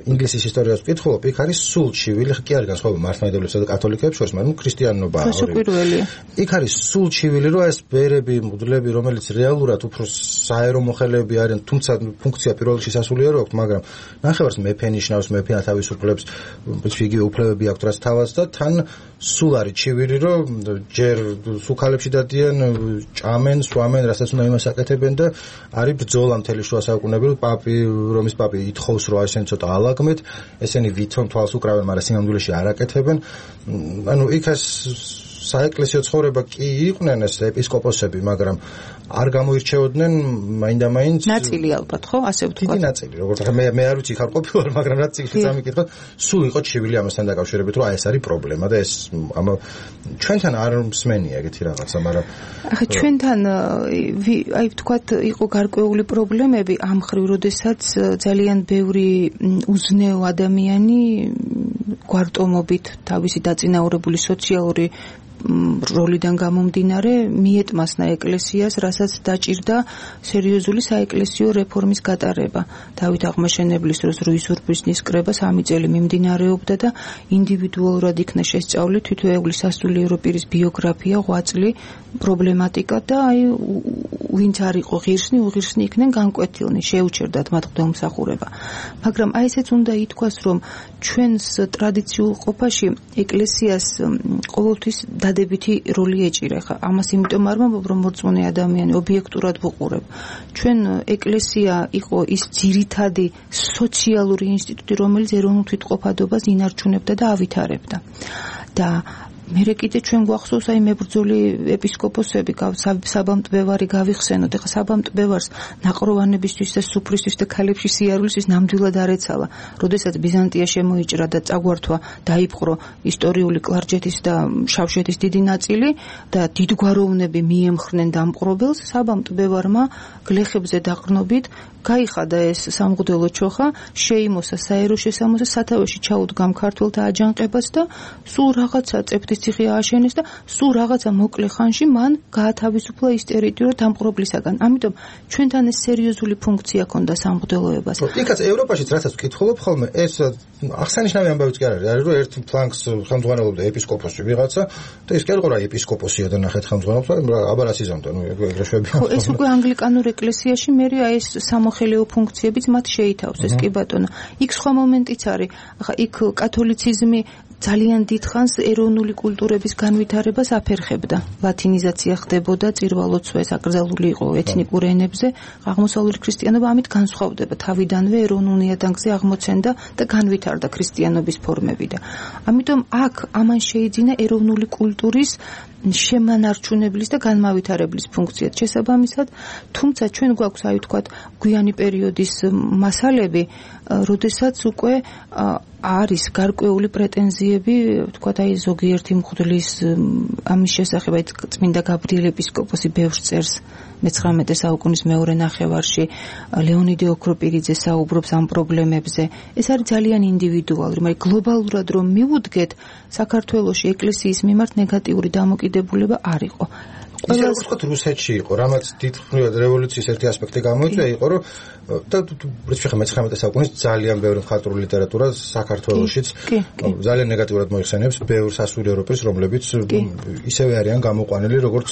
ინგლისის ისტორიას ვკითხულობ, იქ არის სულ ჩივილი, კი არ განსხვავება მართლმადიდებლებსა და კათოლიკეებს შორის, მაგრამ ქრისტიანობა არის. რასაკვირველია. იქ არის სულ ჩივილი, რომ ეს ბერები, მღვდლები, რომელიც რეალურად უფრო საერო მოხელეები არიან, თუმცა ფუნქცია პირველ რიგში სასულიერო აქვს, მაგრამ ნახევარს მეფე ნიშნავს, მეფე თავისუფლებს, იგივე უფლებები აქვს რაც თავს და თან სულ არის ჩივილი, რომ ჯერ სუქალებში დადიან, ჭამენ, სვამენ, რასაც უნდა იმას აკეთებენ და არის ბრძოლა მთელი შუა საუკუნეები, რომ პაპი, რომის პაპი ითხოვს, რომ ესენი ცოტა ალაგმეთ, ესენი ვითომ თვალს უკრავენ, მაგრამ სინამდვილეში არ აკეთებენ. ანუ იქაც საეკლესიო ცხოვრება კი იყვნენ ეს ეპისკოპოსები, მაგრამ არ გამოირჩეოდნენ მაინდა-მაინც ნაწილი ალბათ, ხო? ასე ვთქვათ. დიდი ნაწილი, როგორც ახლა მე მე არ ვიცი ხარ ყოფილვარ, მაგრამ რაც იქ სამიკითხოთ, სულ იყო ჩივილი ამასთან დაკავშირებით, რომ აი ეს არის პრობლემა და ეს ამ ჩვენთან არ მსმენია ეგეთი რაღაცა, მაგრამ ახლა ჩვენთან აი ვთქვათ, იყო გარკვეული პრობლემები ამ ხრივ, როდესაც ძალიან ბევრი უზნეო ადამიანი გვარტომობით თავისი დაწინაურებული სოციალური როლიდან გამომდინარე მიეტმასნა ეკლესიას, რასაც დაჭირდა სერიოზული საეკლესიო რეფორმის გატარება. დავით აღმაშენებლის დროს რუის ურბიზნის კრება სამი წელი მიმდინარეობდა და ინდივიდუალურად იქნა შესწავლილი თითოეული სასულიერო პირის ბიოგრაფია, ღვაწლი, პრობლემატიკა და აი ვინც არ იყო ღირსნი, უღირსნი იქნენ განკვეთილნი, შეუჩერდათ მათ ღვთაემსახურება. მაგრამ აი ესეც უნდა ითქვას, რომ ჩვენს ტრადიციულ ყოფაში ეკლესიას ყოველთვის დადებითი როლი ეჭირა. ხა ამას იმიტომ არ ვამბობ, რომ მორწმუნე ადამიანი ობიექტურად ვუყურებ. ჩვენ ეკლესია იყო ის ძირითადი სოციალური ინსტიტუტი, რომელიც ეროვნულ თვითყოფადობას ინარჩუნებდა და ავითარებდა. და მერე კიდე ჩვენ გვახსოვს აი მებრძოლი ეპისკოპოსები, საბამტბევარი გავიხსენოთ. ეხლა საბამტბევარს ნაყროვანებისთვის და სუფრისთვის და ქალებში სიარულისთვის ნამდვილად არ ეცალა. როდესაც ბიზანტია შემოიჭრა და წაგვართვა, დაიპყრო ისტორიული კლარჯეთის და შავშეთის დიდი ნაწილი და დიდგვაროვნები მიემხრნენ დამპყრობელს, საბამტბევარმა გლეხებზე დაყრდნობით გაიხადა ეს სამღვდელო ჩოხა, შეიმოსა საერო შესამოსა, სათავეში ჩაუდგა ქართველთა აჯანყებას და სულ რაღაცა წეფთის ციხე ააშენეს და სულ რაღაცა მოკლე ხანში მან გაათავისუფლა ის ტერიტორია დამპყრობლისაგან. ამიტომ ჩვენთან ეს სერიოზული ფუნქცია ჰქონდა სამღვდელოებას. იქაც ევროპაშიც რასაც ვკითხულობ ხოლმე, ეს აღსანიშნავი ამბავიც კი არ არის. არის რომ ერთ ფლანგს ხელმძღვანელობდა ეპისკოპოსი ვიღაცა და ის კი არ იყო რა ეპისკოპოსია და ნახეთ ხელმძღვანელობს, აბა რა სიზამთო, ნუ ეგრე შვებია. ხო, ეს უკვე ანგლიკანურ ეკლესიაში მერე აი ეს სამოხელეო ფუნქციებიც მათ შეითავსეს, კი ბატონო. იქ სხვა მომენტიც არის. ახლა იქ კათოლიციზმი ძალიან დიდხანს ეროვნული კულტურების განვითარებას აფერხებდა. ლათინიზაცია ხდებოდა, წირვალოცვა ეს აკრძალული იყო ეთნიკურ ენებზე. აღმოსავლური ქრისტიანობა ამით განსხვავდება. თავიდანვე ეროვნულ ნიადაგზე აღმოცენდა და განვითარდა ქრისტიანობის ფორმები და ამიტომ აქ ამან შეიძინა ეროვნული კულტურის შემანარჩუნებლის და განმავითარებლის ფუნქციად შესაბამისად, თუმცა ჩვენ გვაქვს აი ვთქვათ გვიანი პერიოდის მასალები, როდესაც უკვე არის გარკვეული პრეტენზიები, ვთქვათ აი ზოგიერთი მღვდლის ამის შესახებ, აი წმინდა გაბრიელ ეპისკოპოსი ბევრს წერს მეცხრამეტე საუკუნის მეორე ნახევარში, ლეონიდე ოქროპირიძე საუბრობს ამ პრობლემებზე. ეს არის ძალიან ინდივიდუალური, მაგრამ გლობალურად რომ მივუდგეთ, საქართველოში ეკლესიის მიმართ ნეგატიური დამოკიდებულება არ იყო. ის როგორც ვთქვათ რუსეთში იყო, რამაც დიდხნივად რევოლუციის ერთი ასპექტი გამოიწვია, იყო რომ და რითი ხა მეცხრამეტე საუკუნის ძალიან ბევრი მხატვრული ლიტერატურა საქართველოშიც ძალიან ნეგატიურად მოიხსენიებს ბევრ სასულიერო ევროპის, რომლებიც ისევე არიან გამოყვანილი როგორც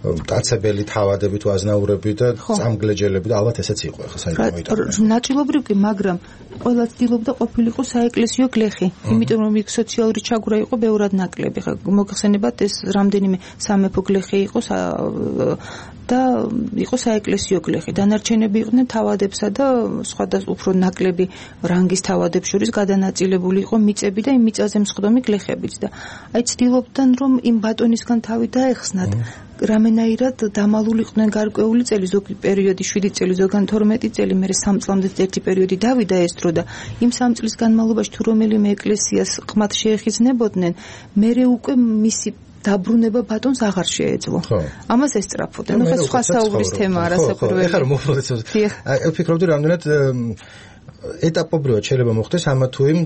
მტაცებელი თავადები თუ აზნაურები და წამგლეჯელები და ალბათ ესეც იყო ხა საერთოდ მოიტანა. ნაწილობრივ კი, მაგრამ ყველა ცდილობდა ყოფილიყო საეკლესიო გლეხი, იმიტომ რომ იქ სოციალური ჩაგვრა იყო ბევრად ნაკლები. ხა მოგხსენებათ ეს რამდენიმე სამეფო გლეხი იყო და იყო საეკლესიო გლეხი. დანარჩენები იყვნენ თავადებსა და სხვადასხვა უფრო ნაკლები რანგის თავადებს შორის გადანაწილებული იყო მიწები და იმ მიწაზე მსხდომი გლეხებიც და აი ცდილობდნენ რომ იმ ბატონისგან თავი დაეხსნათ. რამენაირად დამალულიყვნენ გარკვეული წელი, ზოგი პერიოდი შვიდი წელი, ზოგან თორმეტი წელი, მერე სამ წლამდე ერთი პერიოდი დავიდა ეს დრო და იმ სამ წლის განმავლობაში თუ რომელიმე ეკლესიას ყმად შეეხიზნებოდნენ, მერე უკვე მისი დაბრუნება ბატონს აღარ შეეძლო. ამას ესწრაფოდა. ნუ ხა სხვა საუბრის თემა არასაკვირველი. ეხლა რომ მოვხდეთ, აი ვფიქრობდი რამდენად ეტაპობრივად შეიძლება მოხდეს ამა თუ იმ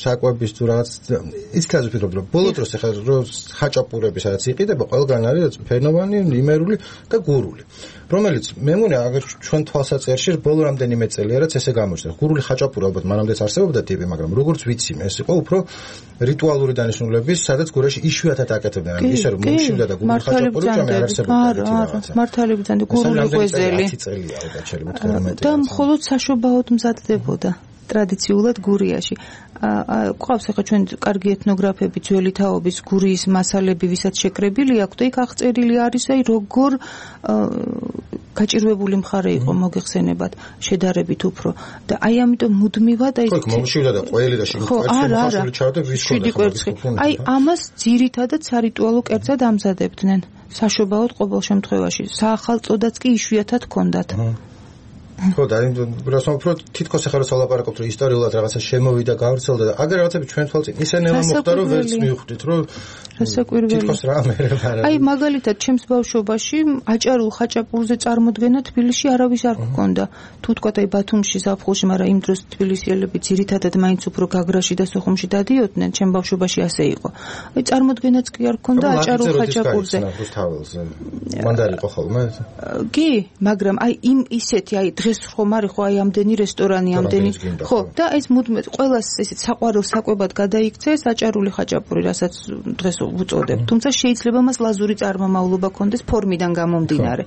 საკვების თუ რაღაც ისეთაზე ვფიქრობ რომ ბოლო დროს ეხლა რომ ხაჭაპურები სადაც იყიდება ყველგან არის ფენოვანი, იმერული და გურული რომელიც მე მგონი აგერ ჩვენ თვალსაჩინოში ბოლო რამდენიმე წელია რაც ესე გამოჩნდა. გურული ხაჭაპური ალბათ მანამდეც არსებობდა ტიპი, მაგრამ როგორც ვიცი ეს იყო უფრო რიტუალური დანიშნულების სადაც გურაში იშვიათად აკეთებდნენ. ანუ ისე რომ მოშივდა და გურული ხაჭაპური ჭამე არ არსებობდა რაღაცა. მართალი ბრძანდა გურული ღვეზელი. და მხოლოდ საშობაოდ მზადდებოდა ტრადიციულად გურიაში. ყავს ახლა ჩვენ კარგი ეთნოგრაფები ძველი თაობის გურიის მასალები ვისაც შეკრებილი აქვს და იქ აღწერილი არის აი როგორ გაჭირვებული მხარე იყო მოგეხსენებათ შედარებით უფრო და აი ამიტომ მუდმივად აი ხო მომშივდა და ყველი და შემოხარშული ჩავდა ვის ხოდა აი ამას ძირითადად სარიტუალო კერძად ამზადებდნენ საშობაოდ ყოველ შემთხვევაში საახალწოდაც კი იშვიათად ჰქონდათ. ხო და რასო უფრო თითქოს ახლა რომ ლაპარაკობთ რომ ისტორიულად რაღაცა შემოვიდა გავრცელდა და აგერ რაღაცები ჩვენ თვალწინ ისენელა მოხდა რომ ვერც მივხვდით რომ რასაკვირველი თითქოს რა მე რა აი მაგალითად ჩემს ბავშვობაში აჭარულ ხაჭაპურზე წარმოდგენა თბილისში არავის არ გქონდა თუ თქვა აი ბათუმში ზაფხულში მაგრამ იმ დროს თბილისიელები ძირითადად მაინც უფრო გაგრაში და სოხუმში დადიოდნენ ჩემ ბავშვობაში ასე იყო აი წარმოდგენაც კი არ გქონდა აჭარულ ხაჭაპურზე მან დაიყო ხოლმე კი მაგრამ აი იმ ისეთი აი დღეს ხომ არის ხო აი ამდენი რესტორანი ამდენი ხო და ეს მუდმივად ყველას ესეთ საყვარელ საკვებად გადაიქცეს აჭარული ხაჭაპური რასაც დღეს ვუწოდებ. თუმცა შეიძლება მას ლაზური წარმომავლობა ქონდეს ფორმიდან გამომდინარე.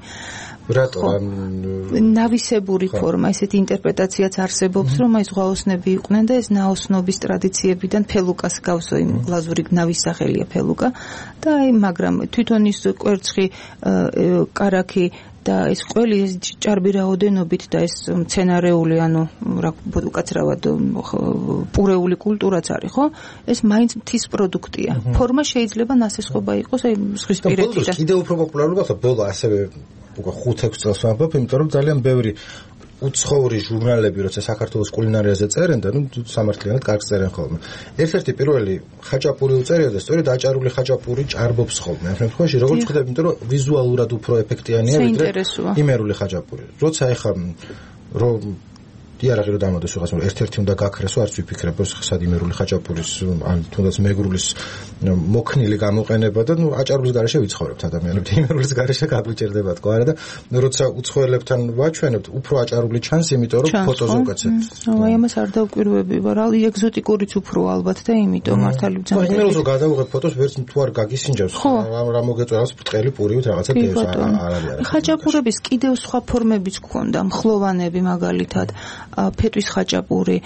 რატო ნავისებური ფორმა, ესეთი ინტერპრეტაციაც არსებობს, რომ აი ზღვაოსნები იყვნენ და ეს ნაოსნობის ტრადიციებიდან ფელუკას გავსო იმ ლაზური ნავის სახელია ფელუკა და აი მაგრამ თვითონ ის კვერცხი კარაქი და ეს ყველი ეს ჭარბი რაოდენობით და ეს მცენარეული ანუ რა უკაცრავად პურეული კულტურაც არის ხო ეს მაინც მთის პროდუქტია ფორმა შეიძლება ნასესხობა იყოს აი ზღვისპირეთი და კიდევ უფრო პოპულარული გახდა ბოლო ასევე უკვე ხუთ-ექვს წელს ვამბობ იმიტომ რომ ძალიან ბევრი უცხოური ჟურნალები როცა საქართველოს კულინარიაზე წერენ და ნუ სამართლიანად კარგს წერენ ხოლმე ერთ-ერთი პირველი ხაჭაპური უწერია და სწორედ აჭარული ხაჭაპური ჭარბობს ხოლმე ამ შემთხვევაში როგორც ხვდები იმიტომ რომ ვიზუალურად უფრო ეფექტიანია ვიდრე იმერული ხაჭაპური როცა ეხა რომ იარაღი რომ დამოდეს უღაც ერთ-ერთი უნდა გაქრესო არც ვიფიქრებ რომ სად იმერული ხაჭაპურის ან თუნდაც მეგრულის მოქნილი გამოყენება და ნუ აჭარულის გარეშე ვიცხოვრებთ ადამიანები იმერულის გარეშე გაგვიჭერდება თქო არა და როცა უცხოელებთან ვაჩვენებთ უფრო აჭარული ჩანს იმიტომ რომ ფოტოზე უკაცებთ აი ამას არ დავკვირვები რა ეგზოტიკურიც უფრო ალბათ და იმიტომ მართალი ბრძანა იმერულს რომ გადავიღებ ფოტოს ვერც თუ არ გაგისინჯავს რა მოგეწონას ბრტყელი პურივით რაღაცა დევს არ არის ხაჭაპურების კიდევ სხვა ფორმებიც გქონდა მხლოვანები მაგალითად ფეტვის ხაჭაპური,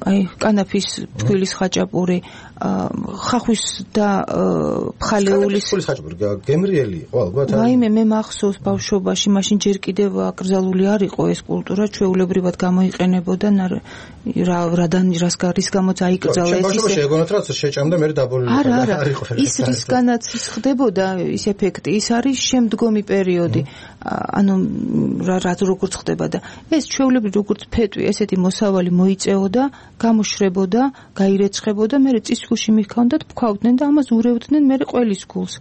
აი კანაფის ფქვილის ხაჭაპური, ხახვის და ფხალეულის ხაჭაპური გემრიელი იყო ალბათ. ვაიმე მე მახსოვს ბავშვობაში, მაშინ ჯერ კიდევ აკრძალული არ იყო ეს კულტურა, ჩვეულებრივად გამოიყენებოდა რა რადან რას გარის გამოც აიკრძალა ეს ისე. შეგონათ რა შეჭამდა მე დაბოლილი არ იყო. ის რისგანაც ის ხდებოდა ის ეფექტი, ის არის შემდგომი პერიოდი. ანუ რა რა როგორც ხდება და ეს ჩვეულებრივ როგორც ფეტვი ესეთი მოსავალი მოიწეოდა, გამოშრებოდა, გაირეცხებოდა, მე წისქულში მიქონდათ, ფქვავდნენ და ამას ურევდნენ მე ყველის გულს.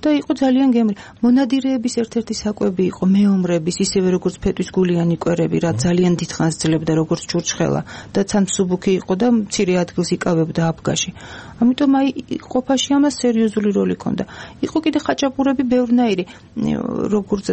და იყო ძალიან გემრი. მონადირეების ერთ-ერთი საკვები იყო მეომრების, ისევე როგორც ფეტვის გულიანი კვერები, რა ძალიან დიდხანს ძლებდა როგორც ჩურჩხელა და თან მსუბუქი იყო და მცირე ადგილს იკავებდა აფგაში. ამიტომ აი ყოფაში ამას სერიოზული როლი ჰქონდა. იყო კიდე ხაჭაპურები ბევრნაირი, როგორც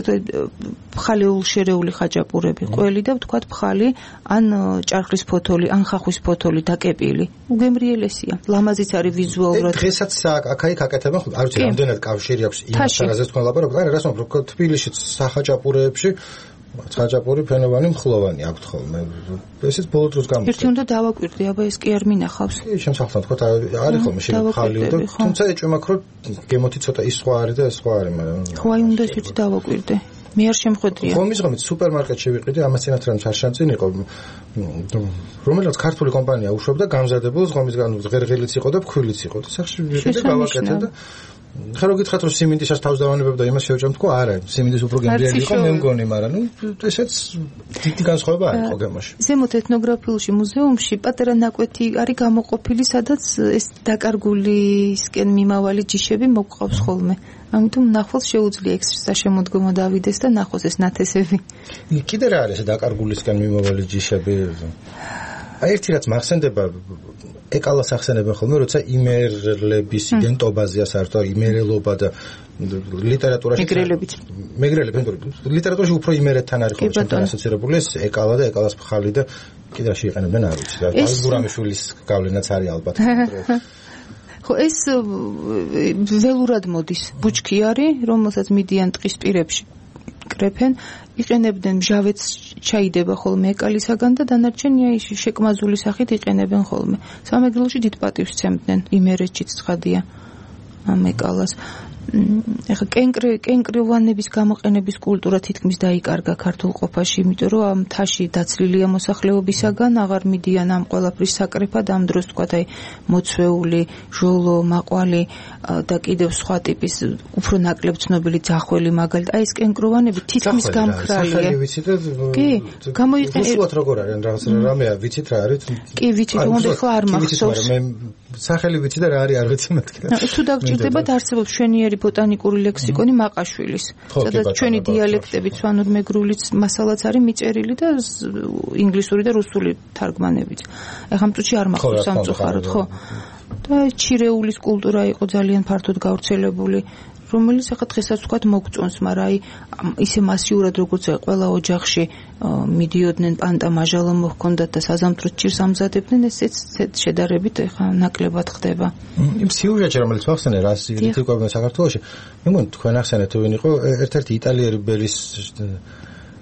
ფხალეულ შერეული ხაჭაპურები, ყველი და ვთქვათ ფხალი, ან ჭარხლის ფოთოლი, ან ხახვის ფოთოლი დაკეპილი. უგემრიელესია. ლამაზიც არის ვიზუალურად. დღესაც აქ-აქ აკეთებენ, არ ვიცი, რამდენად კავშირი აქვს იმასთან, რაზეც თქვენ ლაპარაკობთ. არა, რას ვამბობ, თბილისშიც სახაჭაპურეებში ხაჭაპური ფენოვანი მხლოვანი აქვთ ხოლმე. ესეც ბოლო დროს გამოჩნდა. ერთი უნდა დავაკვირდი, აბა ეს კი არ მინახავს. შემსახთან თქვა არის ხოლმე შეხალი და თუმცა ეჭვმა ხო გემოთი ცოტა ის სხვა არის და ეს სხვა არის, მაგრამ ხო აი უნდა ისიც დავაკვირდე. მე არ შემხვედრია. ხომის ღამით სუპერმარკეტში ვიყიდი, ამასთანაც რამ ჩარშანწინ იყო. რომელსაც ქართული კომპანია უშვებდა გამზადებულს, ხომის ღამით ღერღილიც იყო და ფქვილიც იყო. და სახში ვიყიდი გავაკეთე და ხა რო გითხრათ რომ სიმინდისას თავს დავანებებ და იმას შევჭამ თქო არა სიმინდის უფრო გემრიელი იყო მე მგონი მაგრამ ნუ ესეც დიდი განსხვავება არ იყო გემოში ზემოთ ეთნოგრაფიულში მუზეუმში პატარა ნაკვეთი არის გამოყოფილი სადაც ეს დაკარგულისკენ მიმავალი ჯიშები მოგყავს ხოლმე ამიტომ ნახვალს შეუძლია ეს საშემოდგომო დავიდეს და ნახოს ეს ნათესები კიდე რა არის დაკარგულისკენ მიმავალი ჯიშები აი ერთი რაც მახსენდება ეკალას ახსენებენ ხოლმე როცა იმერლების იდენტობაზეა საერთოდ იმერელობა და ლიტერატურაში მეგრელებით მეგრელები ლიტერატურაში უფრო იმერეთთან არის ხოლმე ასოცირებული ეს ეკალა და ეკალას ფხალი და კიდე რაში იყენებენ არ ვიცი და აი გურამიშვილის გავლენაც არის ალბათ ხო ეს ველურად მოდის ბუჩქი არის რომელსაც მიდიან ტყის პირებში კრეფენ იყენებდნენ მჟავეც ჩაიდება ხოლმე ეკალისაგან და დანარჩენი აი შეკმაზული სახით იყენებენ ხოლმე სამეგრელოში დიდ პატივს სცემდნენ იმერეთშიც ცხადია ამ ეკალას ეხა კენკრე კენკრევანების გამოყენების კულტურა თითქმის დაიკარგა ქართულ ყოფაში, იმიტომ რომ ამ მთაში დაცლილია მოსახლეობისაგან, აღარ მიდიან ამ ყველაფრის საკრეფად, ამ დროს თქვათ აი მოცვეული, ჟოლო, მაყვალი და კიდევ სხვა ტიპის უფრო ნაკლებ ცნობილი ძახველი მაგალითად, აი ეს კენკროვანები თითქმის გამქრალია. სახელი ვიცით და კი, გამოიყენა. უსუალოდ როგორ არის, რაღაც რამეა, ვიცით რა არის? კი, ვიცით, უნდა ხო არ მახსოვს. მე სახელი ვიცი და რა არის არ ვიცი მეთქი. თუ დაგჭირდებათ არსებობს შვენიერი ბოტანიკური ლექსიკონი მაყაშვილის, სადაც ჩვენი დიალექტები, სვანურ-მეგრულიც მასალაც არის მიწერილი და ინგლისური და რუსული თარგმანებით. ეხლა მწუთში არ მახსოვს სამწუხაროდ, ხო? და ჩირეულის კულტურა იყო ძალიან ფართოდ გავრცელებული რომელიც ახლა დღესაც ვთქვათ მოგწონს, მაგრამ აი ისე მასიურად როგორც ყველა ოჯახში მიდიოდნენ პანტა მაჟალო მოჰქონდათ და საზამთროს ჭირს ამზადებდნენ, ესეც შედარებით ახლა ნაკლებად ხდება. იმ სიუჟეტში რომელიც ახსენე რას ირითიკობენ საქართველოში, მე მგონი თქვენ ახსენეთ თუ ვინ იყო ერთ-ერთი იტალიელი ბერის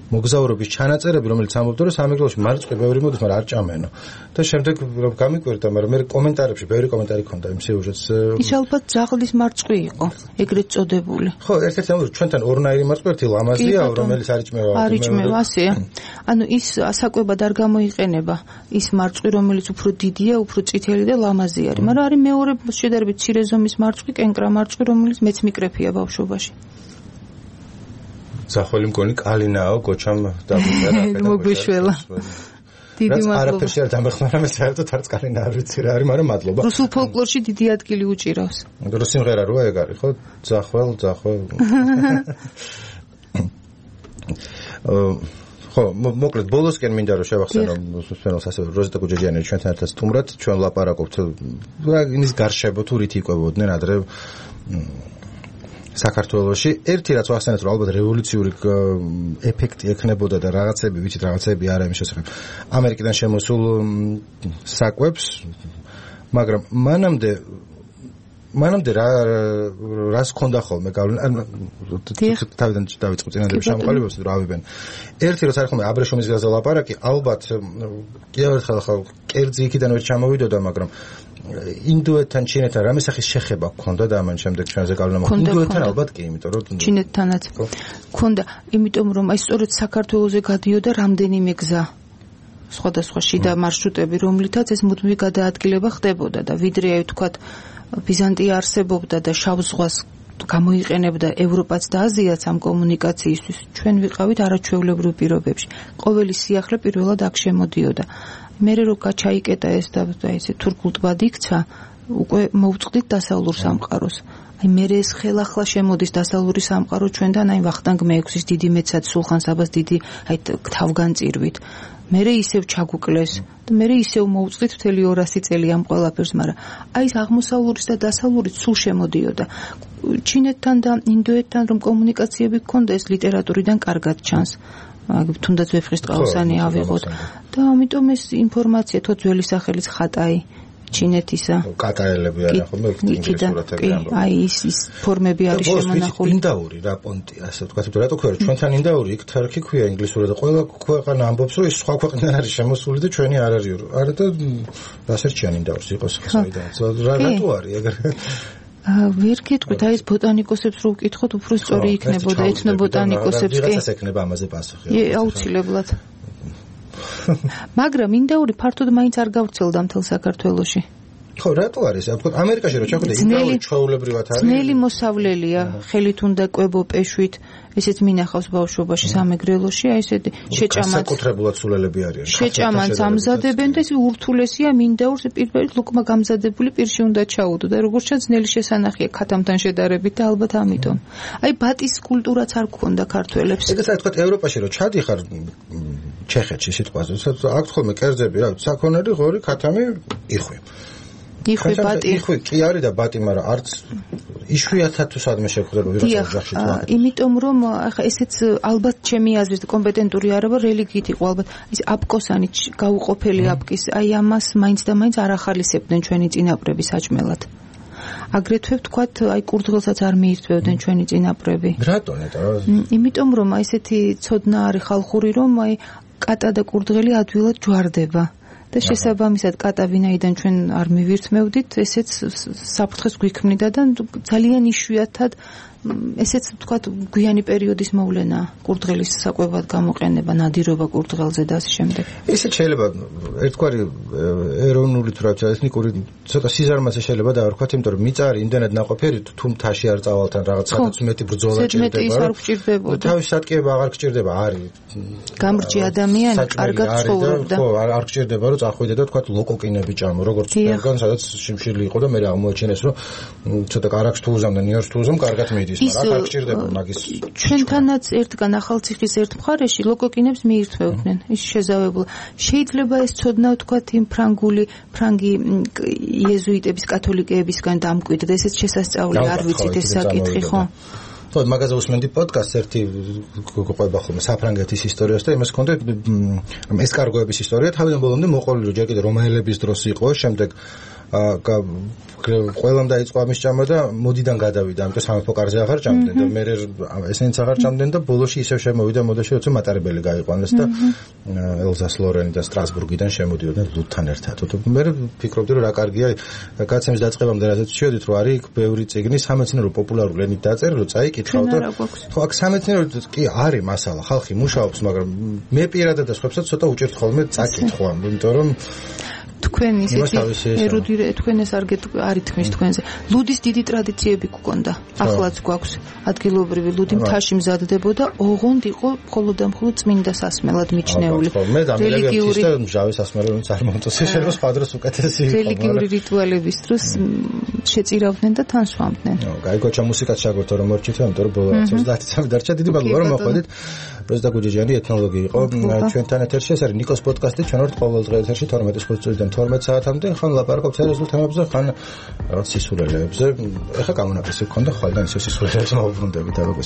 მოგზაურობის ჩანაწერები, რომელიც ამბობდა, რომ სამეგრელოში მარწყვი ბევრი მოდის, მაგრამ არ ჭამენო. და შემდეგ რომ გამიკვირდა, მაგრამ მე კომენტარებში ბევრი კომენტარი ქონდა იმ სიუჟეტს. ის ალბათ ძაღლის მარწყვი იყო, ეგრეთ წოდებული. ხო, ერთ-ერთი ამბობს, ჩვენთან ორნაირი მარწყვი, ერთი ლამაზია, რომელიც არ იჭმევა. არ იჭმევა, ასეა. ანუ ის ასაკვებად არ გამოიყენება, ის მარწყვი, რომელიც უფრო დიდია, უფრო წითელი და ლამაზი არის, მაგრამ არის მეორე შედარებით მცირე ზომის მარწყვი, კენკრა მარწყვი, რომელიც მეც მიკრეფია ბავშვობაში. ზახველი მგონი კალინაო გოჩამ დაგუჭერა მოგვიშველა დიდი მადლობა არაფერში არ დამეხმარა მე საერთოდ არც კალინა არ ვიცი რა არის მაგრამ მადლობა რუსულ ფოლკლორში დიდი ადგილი უჭირავს რუსი სიმღერა როა ეგ არის ხო ზახველ ზახველ ხო მოკლედ ბოლოსკენ მინდა რომ შევახსენო სპენელს ასევე როზიტა გუჯაჯიანი ჩვენთან ერთად სტუმრად ჩვენ ლაპარაკობთ რა იმის გარშემო თუ რით იკვებოდნენ ადრე საქართველოში ერთი რაც ვახსენეთ რომ ალბათ რევოლუციური ეფექტი ექნებოდა და რაღაცები ვიცით რაღაცები არა იმის შესახებ ამერიკიდან შემოსულ საკვებს მაგრამ მანამდე მანამდე რა რას ქონდა ხოლმე თავიდან დავიწყო წინანდელი შემოყალიბებას რომ ავიბენ ერთი როცა არის ხოლმე აბრეშუმის გზაზე ლაპარაკი ალბათ კიდევ ერთხელ ხა კერძი იქიდან ვერ ჩამოვიდოდა მაგრამ ინდოეთთან ჩინეთთან რამე სახის შეხება გქონდა და ამან შემდეგ ჩვენზე გავლენა მოხდა ინდოეთთან ალბათ კი იმიტომ რომ ჩინეთთანაც გქონდა იმიტომ რომ აი სწორედ საქართველოზე გადიოდა რამდენიმე გზა სხვადასხვა შიდა მარშრუტები რომლითაც ეს მუდმივი გადაადგილება ხდებოდა და ვიდრე აი ვთქვათ ბიზანტია არსებობდა და შავ ზღვას გამოიყენებდა ევროპაც და აზიაც ამ კომუნიკაციისთვის ჩვენ ვიყავით არაჩვეულებრივ პირობებში ყოველი სიახლე პირველად აქ შემოდიოდა მერე რო გაჩაიკეტა ეს და ესე თურქულ ტბად იქცა უკვე მოვწყდით დასავლურ სამყაროს აი მერე ეს ხელახლა შემოდის დასავლური სამყარო ჩვენთან აი ვახტანგ მეექვსის დიდი მეცად სულხან საბას დიდი აი თავგანწირვით მერე ისევ ჩაგუკლეს და მერე ისევ მოვწყდით მთელი ორასი წელი ამ ყველაფერს მაგრამ აი ეს აღმოსავლურის და დასავლურის სულ შემოდიოდა ჩინეთთან და ინდოეთთან რომ კომუნიკაციები გქონდა ეს ლიტერატურიდან კარგად ჩანს თუნდაც ვეფხისტყაოსანი ავიღოთ და ამიტომ ეს ინფორმაცია თო ძველი სახელის ხატაი ჩინეთისა კატაელები არა ხოლმე ინგლისურათები აი ის ის ფორმები არის შემონახული ინდაური რა პონტი ასე ვთქვათ თუ რატო ქვია ჩვენთან ინდაური იქ თარქი ქვია ინგლისურად და ყველა ქვეყანა ამბობს რომ ეს სხვა ქვეყნიდან არის შემოსული და ჩვენი არ არის არა და რასერჩიან ინდაურს იყოს საიდან რა რატო არის ეგრე ვერ გეტყვით აი ეს ბოტანიკოსებს რო ვკითხოთ უფრო სწორი იქნებოდა ეთნობოტანიკოსებს კი ვიღაცას ექნება ამაზე პასუხი აუცილებლად მაგრამ ინდაური ფართოდ მაინც არ გავრცელდა მთელ საქართველოში ხო რატო არის ვთქვათ ამერიკაში რო ჩახვიდე ინდაური ჩვეულებრივად არის ძნელი მოსავლელია ხელით უნდა კვებო პეშვით ესეც მინახავს ბავშვობაში სამეგრელოში აი ესეთი შეჭამაც საკუთრებულად სულელები არიან შეჭამაც ამზადებენ და ეს ურთულესია მინდაურს პირველად ლუკმა გამზადებული პირში უნდა ჩაუდო და როგორც ჩანს ძნელი შესანახია ქათამთან შედარებით და ალბათ ამიტომ აი ბატის კულტურაც არ გქონდა ქართველებს ეგეც რა თქვა ევროპაში რო ჩადიხარ ჩეხეთში სიტყვაზე აქ ხოლმე კერძები რა საქონელი ღორი ქათამი იხვი იხვი ბატი იხვი კი არის და ბატი მაგრამ არც იშვიათად თუ სადმე შეხვდება ვიღაცა ოჯახში თქვა იმიტომ რომ ახლა ესეც ალბათ ჩემი აზრით კომპეტენტური არაბა რელიგიით იყო ალბათ ის აპკოსანი გაუყოფელი აპკის აი ამას მაინც და მაინც არ ახალისებდნენ ჩვენი წინაპრები საჭმელად აგრეთვე ვთქვათ აი კურდღელსაც არ მიირთმევდნენ ჩვენი წინაპრები რატო ნეტა იმიტომ რომ აი ესეთი ცოდნა არის ხალხური რომ აი კატა და კურდღელი ადვილად ჯვარდება და შესაბამისად კატა ვინაიდან ჩვენ არ მივირთმევდით ესეც საფრთხეს გვიქმნიდა და ძალიან იშვიათად ესეც ვთქვათ გვიანი პერიოდის მოვლენა კურდღელის საკვებად გამოყენება ნადირობა კურდღელზე და ასე შემდეგ ესე შეიძლება ერთგვარი ეროვნული თუ რა ეთნიკური ცოტა სიზარმაზე შეიძლება დავარქვათ იმიტომ რომ მიწარი იმდენად ნაყოფიერი თუ მთაში არ წავალთან რაღაც სადაც მეტი ბრძოლა ჭირდება თავის სატკიება აღარ გჭირდება არის გამრჯი ადამიანი კარგად ცხოვრობდა ხო არ გჭირდება რომ წახვიდე და თქვათ ლოკოკინები ჭამო როგორც ყველგან სადაც შიმშილი იყო და მე აღმოაჩინეს რომ ცოტა კარაქს თუ უზამ და ნიორს თუ უზამ კარგად მიდის გზის, მაგრამ აქ არ გჭირდება მაგის. ჩვენთანაც ერთგან ახალციხის ერთ მხარეში ლოკოკინებს მიირთმევდნენ. ის შეზავებულა. შეიძლება ეს ცოდნა ვთქვათ იმ ფრანგული, ფრანგი იეზუიტების, კათოლიკეებისგან დამკვიდრდა, ესეც შესასწავლი არ ვიცით ეს საკითხი, ხო? ხო, მაგაზე უსმენდი პოდკასტს ერთი გვყვება ხოლმე საფრანგეთის ისტორიას და იმას ჰქონდა რომ ესკარგოების ისტორია თავიდან ბოლომდე მოყოლილი ჯერ კიდე რომაელების დროს იყო, შემდეგ ყველამ დაიწყო ამის ჭამა და მოდიდან გადავიდა, ამიტომ სამეფო კარზე აღარ ჭამდნენ და მე ესენიც აღარ ჭამდნენ და ბოლოში ისევ შემოვიდა მოდაში, როცა მატარებელი გაიყვანეს და ელზას ლორენი და სტრასბურგიდან შემოდიოდნენ ლუდთან ერთად. მე ვფიქრობდი რომ რა კარგია გაცემის დაწყებამდე რადგან შევედით რომ არის ბევრი წიგნი სამეცნიერო პოპულარული ენით დაწერილი, რომ წაიკითხავ და ხო აქ სამეცნიერო კი არის მასალა, ხალხი მუშაობს, მაგრამ მე პირადად და სხვებსაც ცოტა უჭერთ ხოლმე წაკითხვა, იმიტომ რომ თქვენ ისეთი ერუდირე თქვენ ეს არ არის თქვენს თქვენზე ლუდის დიდი ტრადიციები გქონდა ახლაც გვაქვს ადგილობრივი ლუდი მთაში მზადდებოდა ოღონდ იყო მხოლოდ და მხოლოდ წმინდა სასმელად მიჩნეული რელიგიური და მჟავე სასმელი რომ წარმოვწოს შეიძლება სხვა დროს უკეთესი იყო რელიგიური რიტუალების დროს შეწირავდნენ და თან სვამდნენ გაიგოჩა მუსიკაც შეგორთო რომ მორჩით ამიტომ რომ ბოლო ოცდაათი დარჩა დიდი მადლობა რომ მოხვედით როზდა გუჯეჯიანი ეთნოლოგი იყო ჩვენთან ეთერში ეს არის ნიკოს პოდკასტი ჩვენ ვართ ყოველ დღე ეთერში თორმეტი წუთიდან თორმეტ საათამდე ხან ლაპარაკობთ სერიოზულ თემებზე ხან რაღაც სისულელეებზე ეხა გამონაკლისი გქონდა ხვალიდან ისე სისულელეებს მოვუბრუნდებით და როგორ